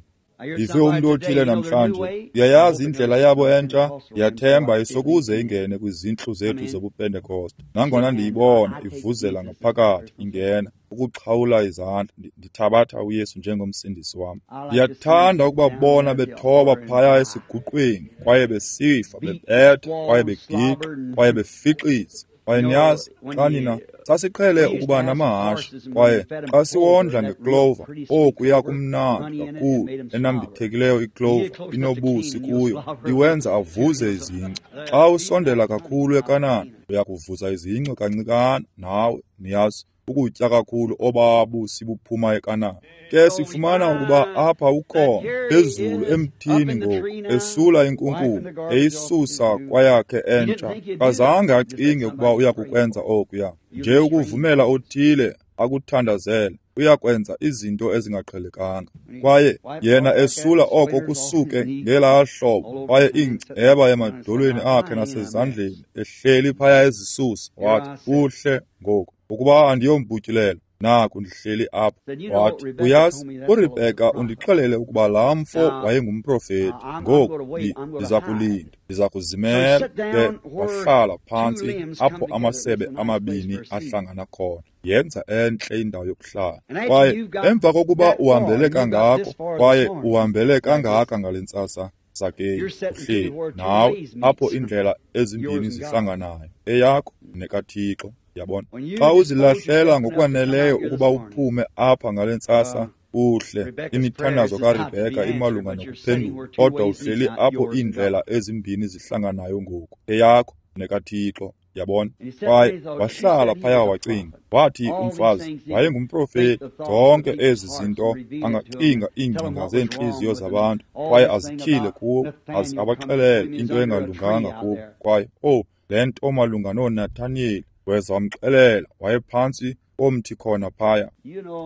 Ndive umntu othile namhlanje, uyayazi indlela yabo entsha, ndiyathemba isokuze ingene kwizintlu zethu zobuPentekoste. Nangona ndiyibona ivuzela ngaphakathi ingena, ukuxhawula izandla, ndithabatha uYesu njengomsindisi wam. Ndiyathanda ukubabona bethoba phaya esiguqweni, kwaye besifa, bebetha, kwaye begiqa, kwaye befixiza. Kwaye niyazi, xa nina sasiqhele ukuba namahashe, kwaye xa siwondla ngeclover, okuya kumnandi kakhulu, enambithekileyo iclover inobusi kuyo, iwenza avuze izinci. Xa usondela kakhulu eKanana, uya kuvuza izinci kancikana nawe, niyazi, ukutya kakhulu obabusi buphuma eKanana. Ke sifumana ukuba apha ukhona phezulu emthini ngoku, esula inkunkuma, eyisusa kwayakhe entsha. Kazange acinge ukuba uya kukwenza okuya. Nje ukuvumela othile akuthandazele, uyakwenza izinto ezingaqhelekanga. Kwaye yena esula oko kusuke ngelaa hlobo, kwaye ingceba emadolweni akhe nasezandleni ehleli phaya ezisusa. Wathi, kuhle ngoku, ukuba andiyombutyulelo, naku ndihleli apha. Wathi, uyazi, uRebheka undixelele ukuba laa mfo wayengumprofeti. Ngoku ndiza kulinda, ndiza kuzimela. Ke wahlala phantsi apho amasebe amabini ahlangana khona. Yenza entle indawo yokuhlala. Kwaye emva kokuba uhambele kangako, kwaye uhambele kangaka ngale ntsasa, Zakeyu, uhleli nawe apho iindlela ezimbini zihlanganayo, eyakho nekaThixo. Yabona, xa uzilahlela ngokwaneleyo ukuba uphume apha ngale ntsasa, uhle imithandazo kaRebheka imalunga nokuphendula, kodwa uhleli apho iindlela ezimbini zihlanganayo ngoku, eyakho nekaThixo. Yabona, kwaye wahlala phaya wacinga. Wathi umfazi wayengumprofeti, zonke ezi zinto angacinga iingcinga zeentliziyo zabantu, kwaye azityhile kubo, aze abaxelele into engalunganga kubo. Kwaye oh, le nto malunga noNathaniyeli, weza wamxelela, wayephantsi komthi khona phaya.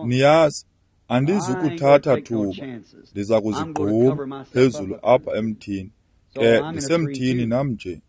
Niyazi, andizukuthatha thuba, ndiza kuzigquma phezulu apha emthini. Ke ndisemthini nam nje.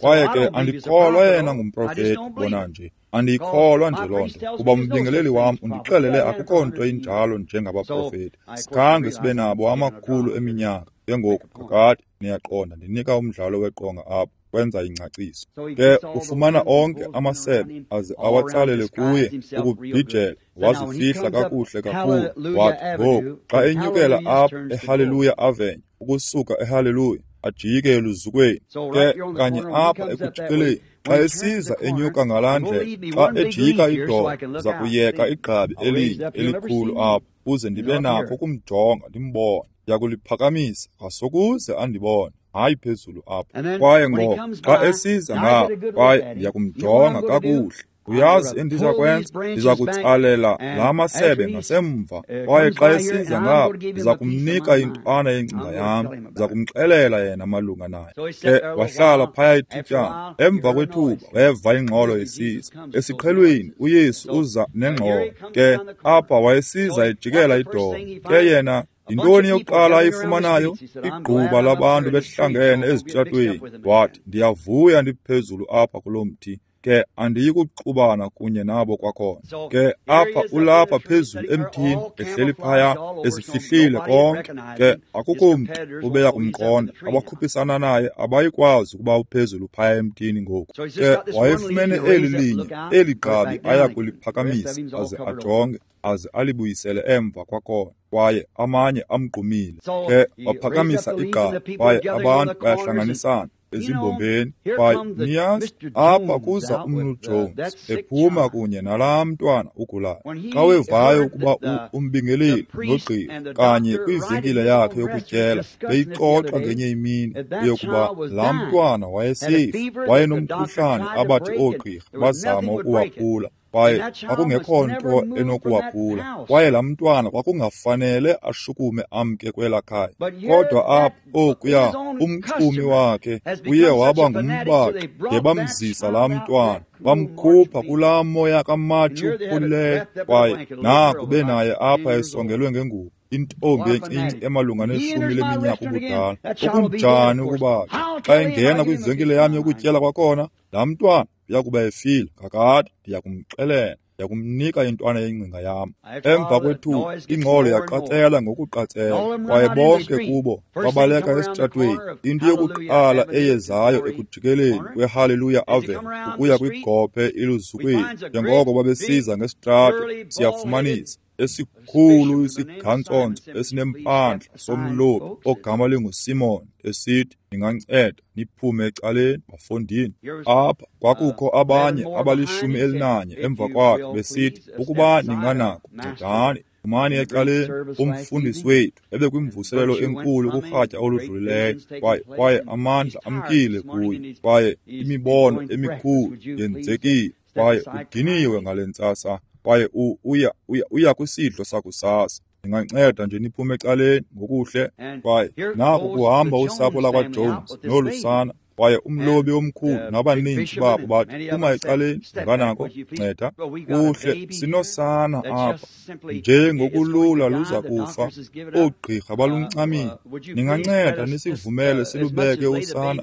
Kwaye ke andikholwa yena ngumprofeti, bona nje. Andiyikholwa nje loo nto, kuba umbingeleli wam undixelele akukho nto injalo njengabaprofeti. Sikhange sibe nabo amakhulu eminyaka. Ke ngoku kakade niyaqonda, ndinika umdlalo weqonga apha, kwenza ingcaciso. Ke ufumana onke amasebe aze awatsalele kuye ukubhijela, wazifihla kakuhle kakhulu. Wathi ngoku xa enyukela apha eHallelujah Avenue, ukusuka eHallelujah ajike eluzukweni, ke kanye apha ekujikeleni, xa esiza enyuka ngalaa ndlela, xa ejika idolo, ndiza kuyeka igqabi elinye elikhulu apha ukuze ndibe nakho ukumjonga ndimbone. Ndiyakuliphakamisa ngasokuze andibone, hayi phezulu apha. Kwaye ngoko xa esiza ngapha, kwaye ndiyakumjonga kakuhle. Uyazi endiza kwenza? Ndiza kutsalela la masebe ngasemva, kwaye xa esiza ngapha, ndiza kumnika intwana yengcinga yam. Ndiza kumxelela yena malunga naye. Ke wahlala phaya ithutyana. Emva kwethuba weva ingxolo esiza. Esiqhelweni uYesu uza nengxolo. Ke apha wayesiza ejikela idolo. Ke yena, yintoni yokuqala ayifumanayo? Igquba labantu behlangene ezitratweni. Wathi, ndiyavuya ndiphezulu apha kulo mthi. Ke andiyi kuxubana kunye nabo kwakhona. Ke apha ulapha phezulu emthini, ehleli phaya, ezifihlile konke. Ke akukho mntu ubeya kumqonda. Abakhuphisana naye abayikwazi ukuba uphezulu phaya emthini ngoku. Ke wayefumene eli linye, eli gqabi aya kuliphakamisa aze ajonge, aze alibuyisele emva kwakhona. Kwaye amanye amgqumile. Ke waphakamisa igqabi, kwaye abantu bayahlanganisana ezimbombeni. Kwaye niyazi, apha kuza umnu Jones ephuma kunye nalaa mntwana ugulayo. Xa wevayo ukuba umbingeleli nogqirha kanye kwivenkile yakhe yokutyela beyixoxa ngenye imini eyokuba laa mntwana wayesifa, wayenomkhuhlane abathi oogqirha bazama ukuwaphula, kwaye kwakungekho nto enokuwaphula. Kwaye laa mntwana kwakungafanele ashukume amke kwelaa khaya. Kodwa apha okuya umxumi wakhe uye waba ngumbaxi, de bamzisa laa mntwana, bamkhupha kulaa moya kaMatshi uphulileyo. Kwaye naku benaye apha esongelwe ngengubo, intombi encinci emalunga neshumi leminyaka ubudala. Okunjani ukuba xa engena kwivenkile yam yokutyela kwakhona, laa mntwana uyakuba efile kakade. Ndiyakumxelela, ndiyakumnika intwana yengcinga yam. Emva kwethuba ingxolo yaqatsela ngokuqatsela, kwaye bonke kubo babaleka esitratweni. Into yokuqala eyezayo ekujikeleni kweHallelujah Avenue ukuya kwigophe iluzukweni, njengoko babesiza ngesitrato, siyafumanisa esikhulu isigantsonto esinempandla somlobi ogama linguSimon esithi, ninganceda niphume ecaleni, bafondini. Apha kwakukho abanye abalishumi elinanye emva kwakhe besithi, ukuba ninganako, ncedani, phumani ecaleni. Umfundisi wethu ebekwimvuselelo enkulu kurhatya oludlulileyo, kwaye kwaye amandla amkile kuye, kwaye imibono emikhulu yenzekile, kwaye udiniwe ngale ntsasa, kwaye uya uya uya kwisidlo sakusasa. Ninganceda nje niphume ecaleni ngokuhle. Kwaye naku kuhamba usapho lakwaJones nolu sana, kwaye umlobi omkhulu nabaninzi babo bathi, phuma ecaleni, unganako, nceda. Kuhle, sinosana apha nje ngokulula luza kufa, oogqirha baluncamile. Ninganceda nisivumele silubeke usana.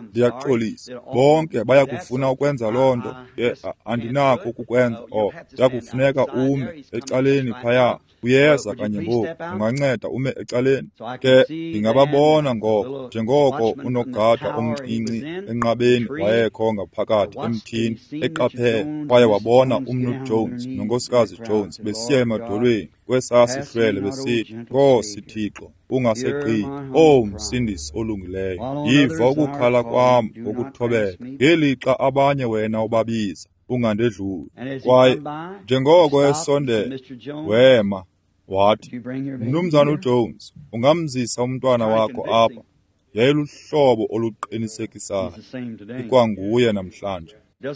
Ndiyaxolisa, bonke bayakufuna ukwenza loo nto. Ke andinakho ukukwenza oko. Kuyakufuneka ume ecaleni phaya. Uyeza kanye ngoku, unganceda ume ecaleni. Ke ndingababona ngoko, njengoko unogada omncinci enqabeni wayekho ngaphakathi emthini eqaphele, kwaye wabona umnu Jones nonkosikazi Jones besiya emadolweni kwesaa sihlwele besithi, Nkosi Thixo, ungasegqithi, owu Msindisi olungileyo, yiva ukukhala kwam ngokuthobeka, ngelixa abanye wena ubabiza, ungandedluli. Kwaye njengoko esondela, wema wathi, Mnumzana uJones, ungamzisa umntwana wakho apha? Yayiluhlobo oluqinisekisayo. Ikwanguye namhlanje.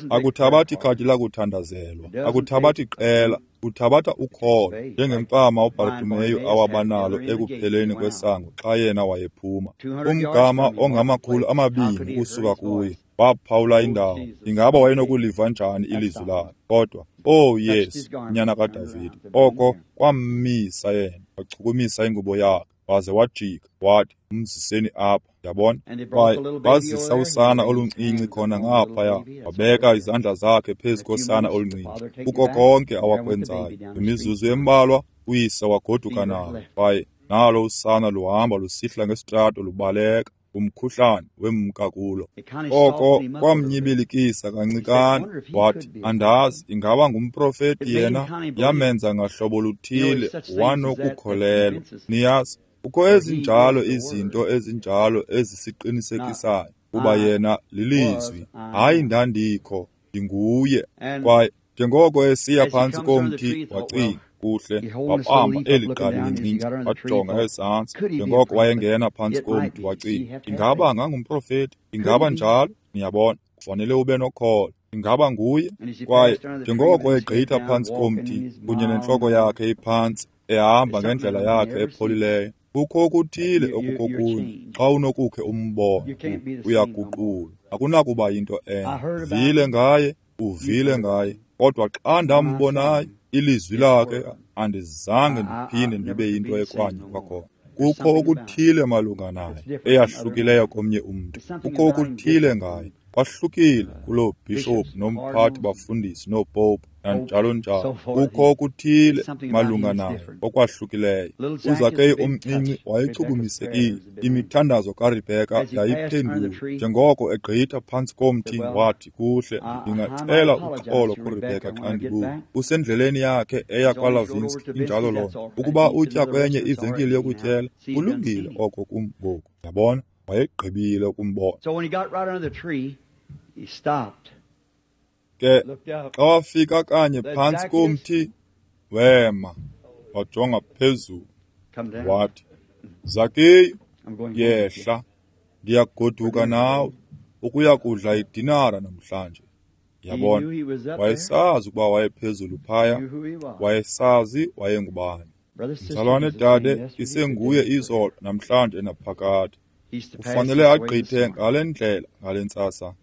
Akuthabathi khadi lakuthandazelwa, akuthabathi qela, uthabatha ukholo, njengemfama uBartimeyu awabanalo ekupheleni kwesango xa yena wayephuma. Umgama ongamakhulu amabini ukusuka kuye, waphawula indawo. Ingaba wayenokuliva njani ilizwi lakhe? Kodwa, oh Yesu, nyana kaDavide, oko kwammisa yena, wachukumisa ingubo yakhe, waze wajika, wathi, umziseni apha. Yabona? Kwaye bazisa usana oluncinci khona ngaphaya, wabeka izandla zakhe phezu kosana oluncinci. Kuko konke awakwenzayo. Imizuzu embalwa uyise wagoduka nalo, kwaye nalo usana luhamba lusihla ngesitrato lubaleka. Umkhuhlane wemka kulo. Oko kwamnyibilikisa kancikane. Wathi, andazi, ingaba ngumprofeti yena? Yamenza ngahlobo luthile wanokukholelwa. Niyazi, kukho ezinjalo izinto ezinjalo ezisiqinisekisayo kuba yena lilizwi. Hayi, ndandikho, ndinguye. Kwaye njengoko esiya phantsi komthi, wacinga, kuhle, wabamba eli gqabi lincinci, wajonga ezantsi. Njengoko wayengena phantsi komthi, wacinga, ingaba ngangumprofeti? Ingaba njalo? Niyabona, kufanele ube nokholo. Ingaba nguye? Kwaye njengoko egqitha phantsi komthi kunye nentloko yakhe iphantsi, ehamba ngendlela yakhe epholileyo, kukho okuthile okukokunye. Xa unokukhe umbone, uyaguqulwa. Akunakuba yinto enye. Uvile ngaye, uvile ngaye. Kodwa xa ndambonayo, ilizwi lakhe, andizange ndiphinde ndibe yinto ekwanye kwakhona. Kukho okuthile malunga naye eyahlukileyo komnye umntu. Kukho okuthile ngaye, kwahlukile kuloo bhishophu nomphathi bafundisi noopopu nanjalo njalo. Kukho okuthile malunga naye okwahlukileyo. UZakeyu omncinci wayechukumisekile. Imithandazo kaRebheka yayiphendulwa. Njengoko egqitha phantsi komthi, wathi, kuhle, ndingacela uxolo kuRebheka xa ndibuya. Usendleleni yakhe eya kwaLavinski, injalo loo nto. Ukuba utya kwenye ivenkile yokutyela, kulungile oko kum ngoku. Yabona, wayegqibile ukumbona. Ke xa wafika kanye phantsi komthi, wema, wajonga phezulu, wathi, Zakeyu, yehla, ndiyagoduka nawe ukuya kudla idinara namhlanje. Yabona, wayesazi ukuba wayephezulu phaya, wayesazi wayengubani. Mzalwane dade, isenguye izolo, namhlanje naphakade. Kufanele agqithe ngale ndlela ngale ntsasa.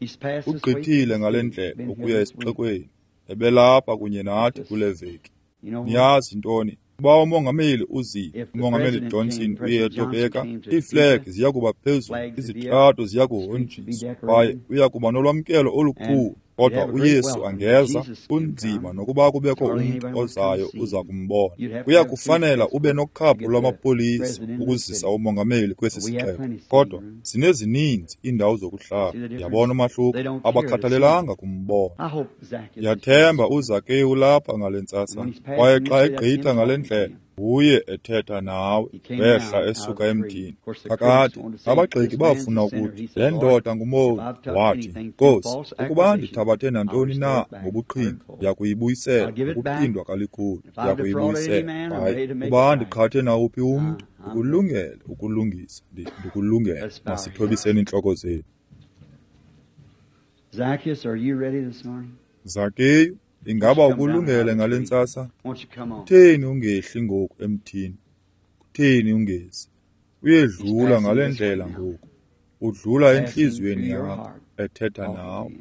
Ugqithile ngale ndlela ukuya esixekweni. Ebelapha kunye nathi kule veki. Niyazi ntoni? Uba umongameli uzile, umongameli Johnson uye eTopeka, iiflegi ziya kuba phezulu, izitrato ziya kuhonjiswa, kwaye uya kuba nolwamkelo olukhulu. Kodwa uYesu angeza, kunzima nokuba kubekho umntu ozayo uza kumbona. Kuya kufanela ube nokhaphu lwamapolisa ukuzisa umongameli kwesi sixeko. Kodwa sinezininzi iindawo zokuhlala. Yabona umahluko? Abakhathalelanga kumbona. Ndiyathemba uZakeyu lapha ngale ntsasa. Kwaye xa egqitha ngale ndlela, nguye ethetha nawe, wehla esuka emthini. Kakade, abagxeki bafuna ukuthi, le ndoda ngumoni. Wathi, Nkosi, ukuba ndithabathe nantoni na ngobuqhinga, ndiyakuyibuyisela ngokuphindwa kalikhulu, ndiyakuyibuyisela. Hayi, ukuba ndiqhathe nawuphi umntu, ndikulungele ukulungisa, ndikulungele. Masithobiseni iintloko zethu. Zakeyu, ingaba ukulungele ngale ntsasa? Kutheni ungehli ngoku emthini? Kutheni ungezi? Uyedlula ngale ndlela ngoku. Udlula entliziyweni yakho, ethetha nawe.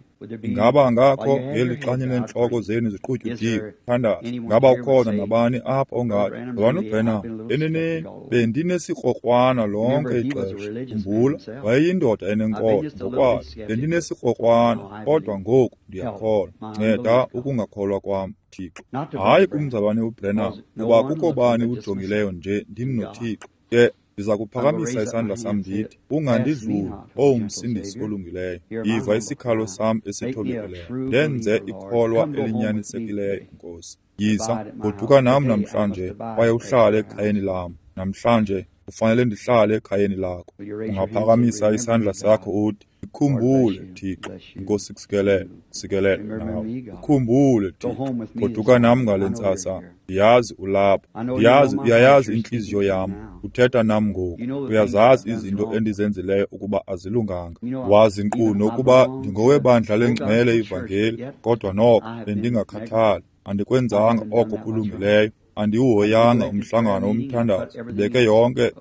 Ingaba ngakho ngeli xanye neentloko zenu ziqutyudiwe? Thandaza. Ingaba ukhona nabani apha ongathi, Mzalwana uBrenham, eneneni bendinesikrokrwana lonke ixesha. Khumbula, wayeyindoda enenkolo ngokwayo. Bendinesikrokrwana, kodwa ngoku ndiyakholwa. Nceda ukungakholwa kwam, Thixo. Hayi kumzalwane uBrenham, kuba kukho bani ujongileyo nje, ndim noThixo. Ke ndiza kuphakamisa isandla sam ndithi, ungandidluli, owu Msindisi olungileyo. Yiva isikhalo sam esithobekileyo. Ndenze ikholwa elinyanisekileyo, Nkosi. Yiza, goduka nam namhlanje, kwaye uhlale ekhayeni lam. Namhlanje kufanele ndihlale ekhayeni lakho. Ungaphakamisa isandla sakho uthi, Ikhumbule, Thixo. Inkosi kusikelele, kusikelele nawe. Ikhumbule, Thixo. Goduka nam ngale ntsasa. Ndiyazi ulapha. Ndiyazi uyayazi intliziyo yam. Uthetha nam ngoku. Uyazazi izinto endizenzileyo ukuba azilunganga. Wazi nkqu nokuba ndingowebandla lengcwele ivangeli, kodwa noko bendingakhathali. Andikwenzanga oko kulungileyo. Andiwuhoyanga umhlangano womthandazo. Ndibeke yonke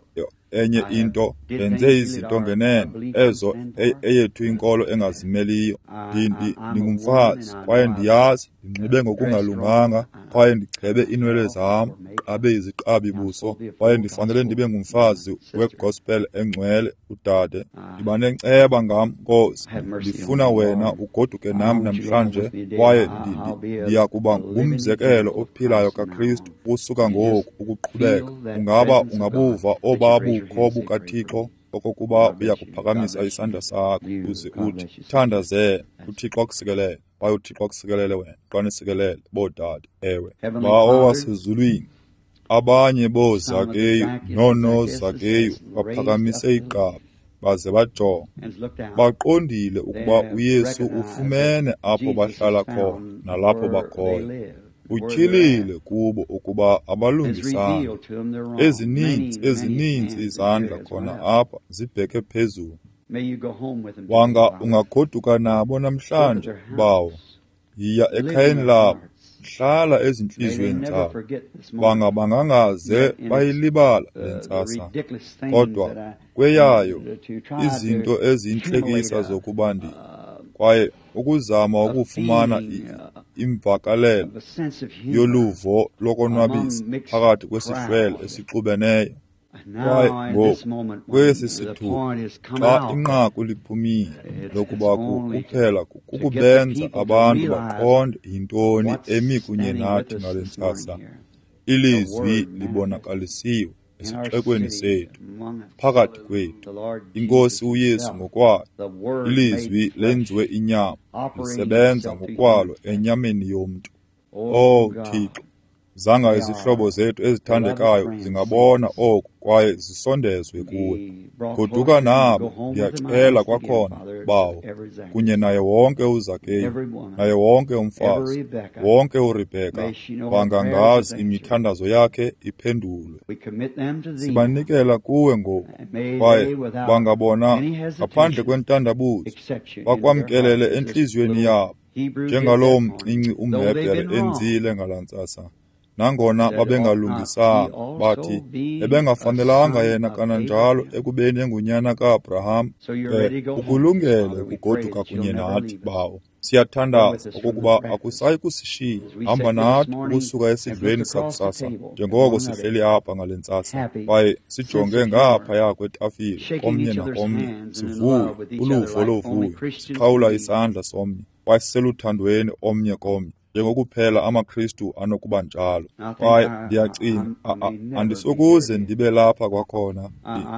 enye into, ndenze izinto ngenene ezo eyethu inkolo engazimeliyo. Ndingumfazi kwaye ndiyazi ndinxibe ngokungalunganga, kwaye ndichebe iinwele zam, qabe iziqabi buso, kwaye ndifanele ndibe ngumfazi wegospel engcwele, udade. Ndiba nenceba ngam, Nkosi. Ndifuna wena ugoduke nam namhlanje, kwaye ndiya kuba ngumzekelo ophilayo kaKristu kusuka ngoku ukuqhubeka. Ungaba ungabuva oba bukho bukaThixo okokuba uya kuphakamisa isandla sakho uze uthi, thandazela, uThixo akusikelele, kwaye uThixo akusikelele wena, qanisikelele, boodade. Ewe, Bawo wasezulwini, abanye booZakeyu noonoZakeyu baphakamise igqabi baze bajonga. Baqondile ukuba uYesu ufumene apho bahlala khona nalapho bakhoyo. Utyhilile kubo ukuba abalungisanga. Ezininzi, ezininzi izandla khona apha zibheke phezulu. Wanga ungagoduka nabo namhlanje, Bawo. Yiya ekhayeni labo, hlala ezintliziyweni zabo. Banga bangangaze bayilibala le ntsasa. Kodwa kweyayo izinto eziyintlekisa zokuba ndi kwaye ukuzama ukufumana imvakalelo yoluvo lokonwabisa phakathi kwesihlwele esixubeneyo. Kwaye ngoku kwesi sithuba, xa inqaku liphumile lokuba kuphela kukubenza abantu baqonde yintoni emi kunye nathi ngale ntsasa, ilizwi libonakalisiwe esixekweni sethu, phakathi kwethu, iNkosi uYesu ngokwayo, ilizwi lenziwe inyama, lisebenza ngokwalo enyameni yomntu. Oh Thixo, zanga izihlobo zethu ezithandekayo zingabona oku kwaye zisondezwe kuwe. Goduka nabo, ndiyacela kwakhona, Bawo, kunye naye wonke uZakeyu, naye wonke umfazi, wonke uRebheka, bangangazi imithandazo yakhe iphendulwe. Sibanikela kuwe ngoku, kwaye bangabona ngaphandle kwentandabuzo, bakwamkelele entliziyweni yabo, njengalowo mncinci umHebhere enzile ngalaa ntsasa. Nangona babengalungisanga, bathi ebengafanelanga yena kananjalo ekubeni engunyana kaAbraham. Ke ukulungele ukugoduka kunye nathi, Bawo. Siyathandaza okokuba akusayi kusishiya. Hamba nathi ukusuka esidlweni sakusasa, njengoko sihleli apha ngale ntsasa, kwaye sijonge ngaphaya kwetafile komnye nakomnye, sivuye uluvo lovuyo, sixhawula isandla somnye, kwaye siseluthandweni omnye komnye, njengokuphela amaKristu anokuba njalo. Kwaye ndiyacinga, andisokuze ndibe lapha kwakhona,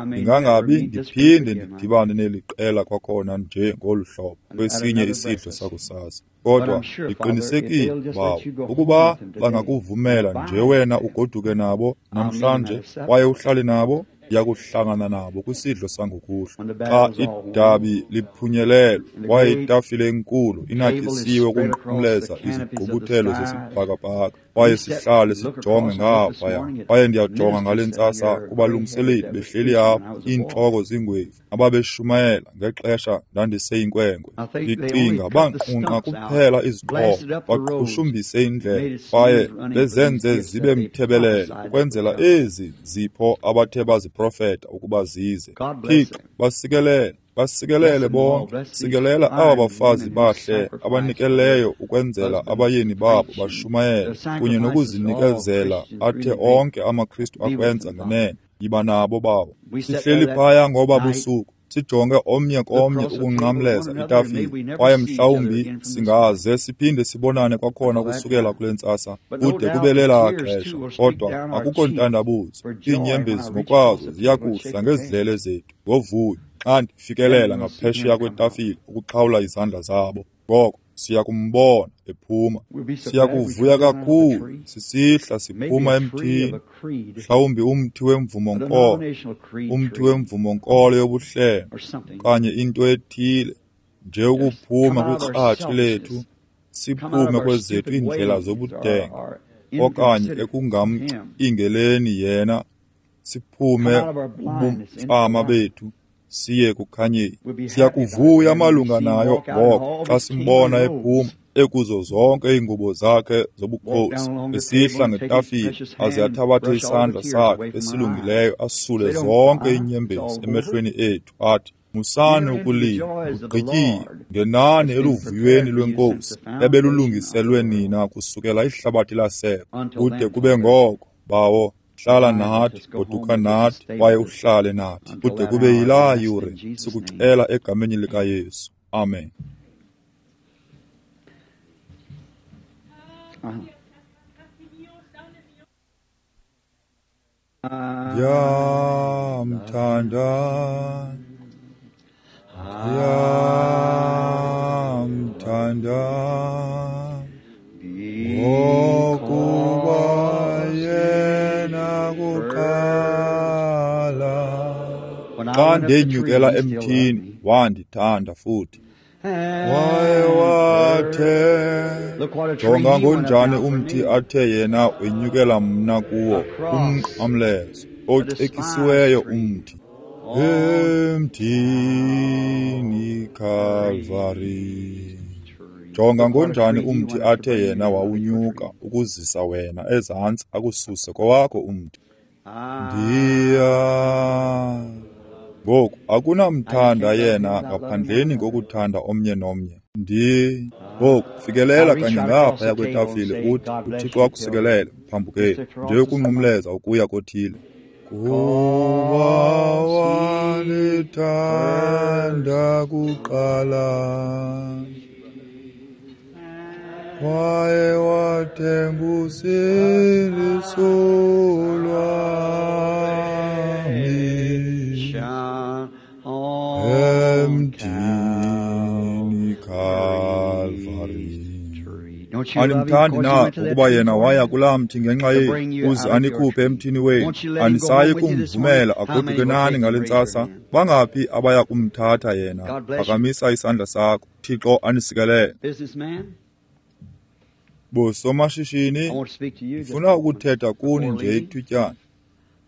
ndingangabi ndiphinde ndidibane neli qela kwakhona nje ngolu hlobo kwesinye isidlo sakusasa. Kodwa ndiqinisekile, Bawo, ukuba bangakuvumela nje wena ugoduke nabo namhlanje kwaye uhlale nabo, ndiyakuhlangana nabo kwisidlo sangokuhlwa. Xa idabi liphunyelelwe kwaye itafile enkulu inatyisiwe ukunqumleza izigqubuthelo zesibhakabhaka, kwaye sihlale sijonge ngaphaya. Kwaye ndiyajonga ngale ntsasa kubalungiseleli behleli apha, iintloko zingwevu, ababeshumayela ngexesha ndandiseyinkwenkwe. Ndicinga banqunqa kuphela izixhobo, baqhushumbise indlela, kwaye bezenze zibe mthebelele ukwenzela ezi zipho abathe baziprofeta ukuba zize. Thixo, basikelele, basikelele bonke, sikelela aba bafazi bahle abanikeleyo ukwenzela abayeni babo bashumayele kunye nokuzinikezela athe onke amaKristu akwenza ngenene. Yiba nabo, Bawo. Sihleli phaya ngoba busuku, sijonge omnye komnye ukunqamleza itafile, kwaye mhlawumbi singaze siphinde sibonane kwakhona kusukela kule ntsasa kude kube lelaa xesha. Kodwa akukho ntandabuzo, iinyembezi ngokwazo ziya kuhla ngezidlele zethu ngovuyo xa ndifikelela ngaphesheya kwetafile ukuxhawula izandla zabo. Ngoko siya kumbona ephuma. Siya kuvuya kakhulu sisihla siphuma emthini, mhlawumbi umthi wemvumo-nkolo, umthi wemvumo-nkolo yobuhlelo, okanye into ethile, nje ukuphuma kwikratshi lethu, siphume kwezethu iindlela zobudenge, okanye ekungamcingeleni yena, siphume kubumfama bethu, siye kukhanyeni. Siyakuvuya malunga nayo ngoko xa simbona ephuma ekuzo zonke iingubo zakhe zobukhosi, esihla ngetafile, aze athabathe isandla sakhe esilungileyo asule zonke iinyembezi emehlweni ethu, athi, musani ukulila, kugqityiwe, ngenani eluvuyweni lweNkosi ebelulungiselwe nina kusukela ihlabathi lasekwa. Kude kube ngoko, Bawo, hlala nathi, goduka nathi, kwaye uhlale nathi kude kube yilaa yure. Sikucela egameni likaYesu. Amen. Uh-huh. Ndiyamthanda, ndiyamthanda, ngokuba yena kuqala. Xa ndenyukela emthini, wandithanda futhi. Waye wathe, jonga ngonjani umthi athe yena wenyukela mna kuwo, umnqamlezo, ocekisiweyo umthi. Emthini Calvary. Jonga ngonjani umthi athe yena wawunyuka ukuzisa wena ezantsi akususe kowakho umthi. Ndiya ngoku akunamthanda yena ngaphandleni kokuthanda omnye nomnye. Ndi ngoku fikelela kanye ngaphaya kwetafile uthi uThixo akusikelele mphambukeli, nje ukunqumleza ukuya kothile. Kuba wandithanda kuqala, kwaye wathenga usindiso lwami emthini Calvary. Animthandi na ukuba yena waya kulaa mthi ngenxa yenu, uze anikhuphe emthini wenu? Anisayi kumvumela agoduke nani ngale ntsasa? Bangaphi abaya kumthatha yena? Phakamisa isandla sakho. Thixo anisikelele. Bosomashishini, ndifuna ukuthetha kuni nje ithutyana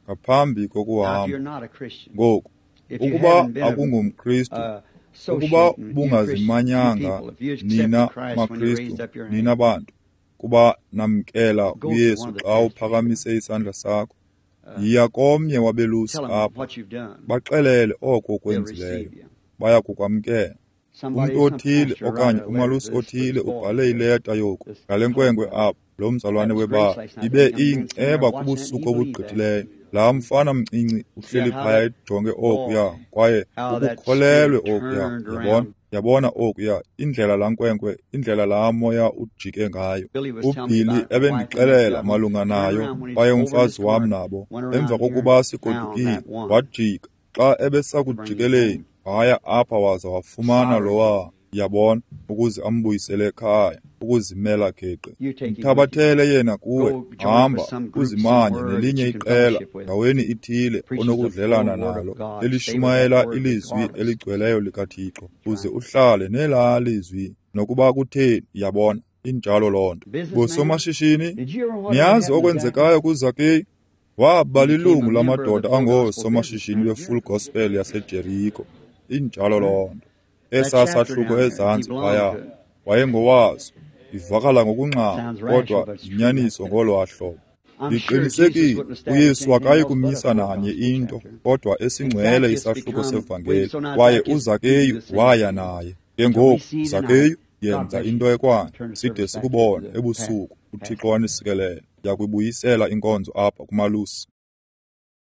ngaphambi kokuhamba. Ngoku, ukuba akungumKristu, ukuba bungazimanyanga nina maKristu, nina bantu, kuba namkela uYesu xa uphakamise isandla sakho, yiya komnye wabelusi apha, baxelele oko ukwenzileyo, baya kukwamkela. Umntu othile okanye umalusi othile ubhale ileta yoku ngale nkwenkwe apha, lo mzalwane webala, ibe iyinceba kubusuku obugqithileyo. Laa mfana mncinci uhleli phaya ejonge okuya, kwaye ukukholelwe okuya. Yabona, yabona okuya, indlela laa nkwenkwe, indlela laa moya ujike ngayo. UBilly ebendixelela malunga nayo, kwaye umfazi wam nabo, emva kokuba sigodukile, wajika. Xa ebesakujikeleni, waya apha waza wafumana lowa, yabona, ukuze ambuyisele ekhaya, ukuzimela geqe. Mthabathele yena kuwe, hamba, uzimanye nelinye iqela ndaweni ithile onokudlelana nalo, elishumayela ilizwi eligcweleyo likaThixo, uze uhlale nelaa lizwi nokuba kutheni, yabona. Injalo loo nto. Bosomashishini, niyazi okwenzekayo kuZakeyu? Waba lilungu lamadoda angoosomashishini beFull Gospel yaseJeriko. Injalo loo nto. Esaa sahluko ezantsi phaya, wayengowaso. Ivakala ngokungxama, kodwa yinyaniso ngolwaa hlobo. Ndiqinisekile uYesu akayi kumisa nanye into, kodwa esingcwele isahluko sevangeli, kwaye uZakeyu waya naye. Ke ngoku, Zakeyu, yenza into ekwayo, side sikubone ebusuku. UThixo anisikelele. Ndiyakuyibuyisela inkonzo apha kumalusi.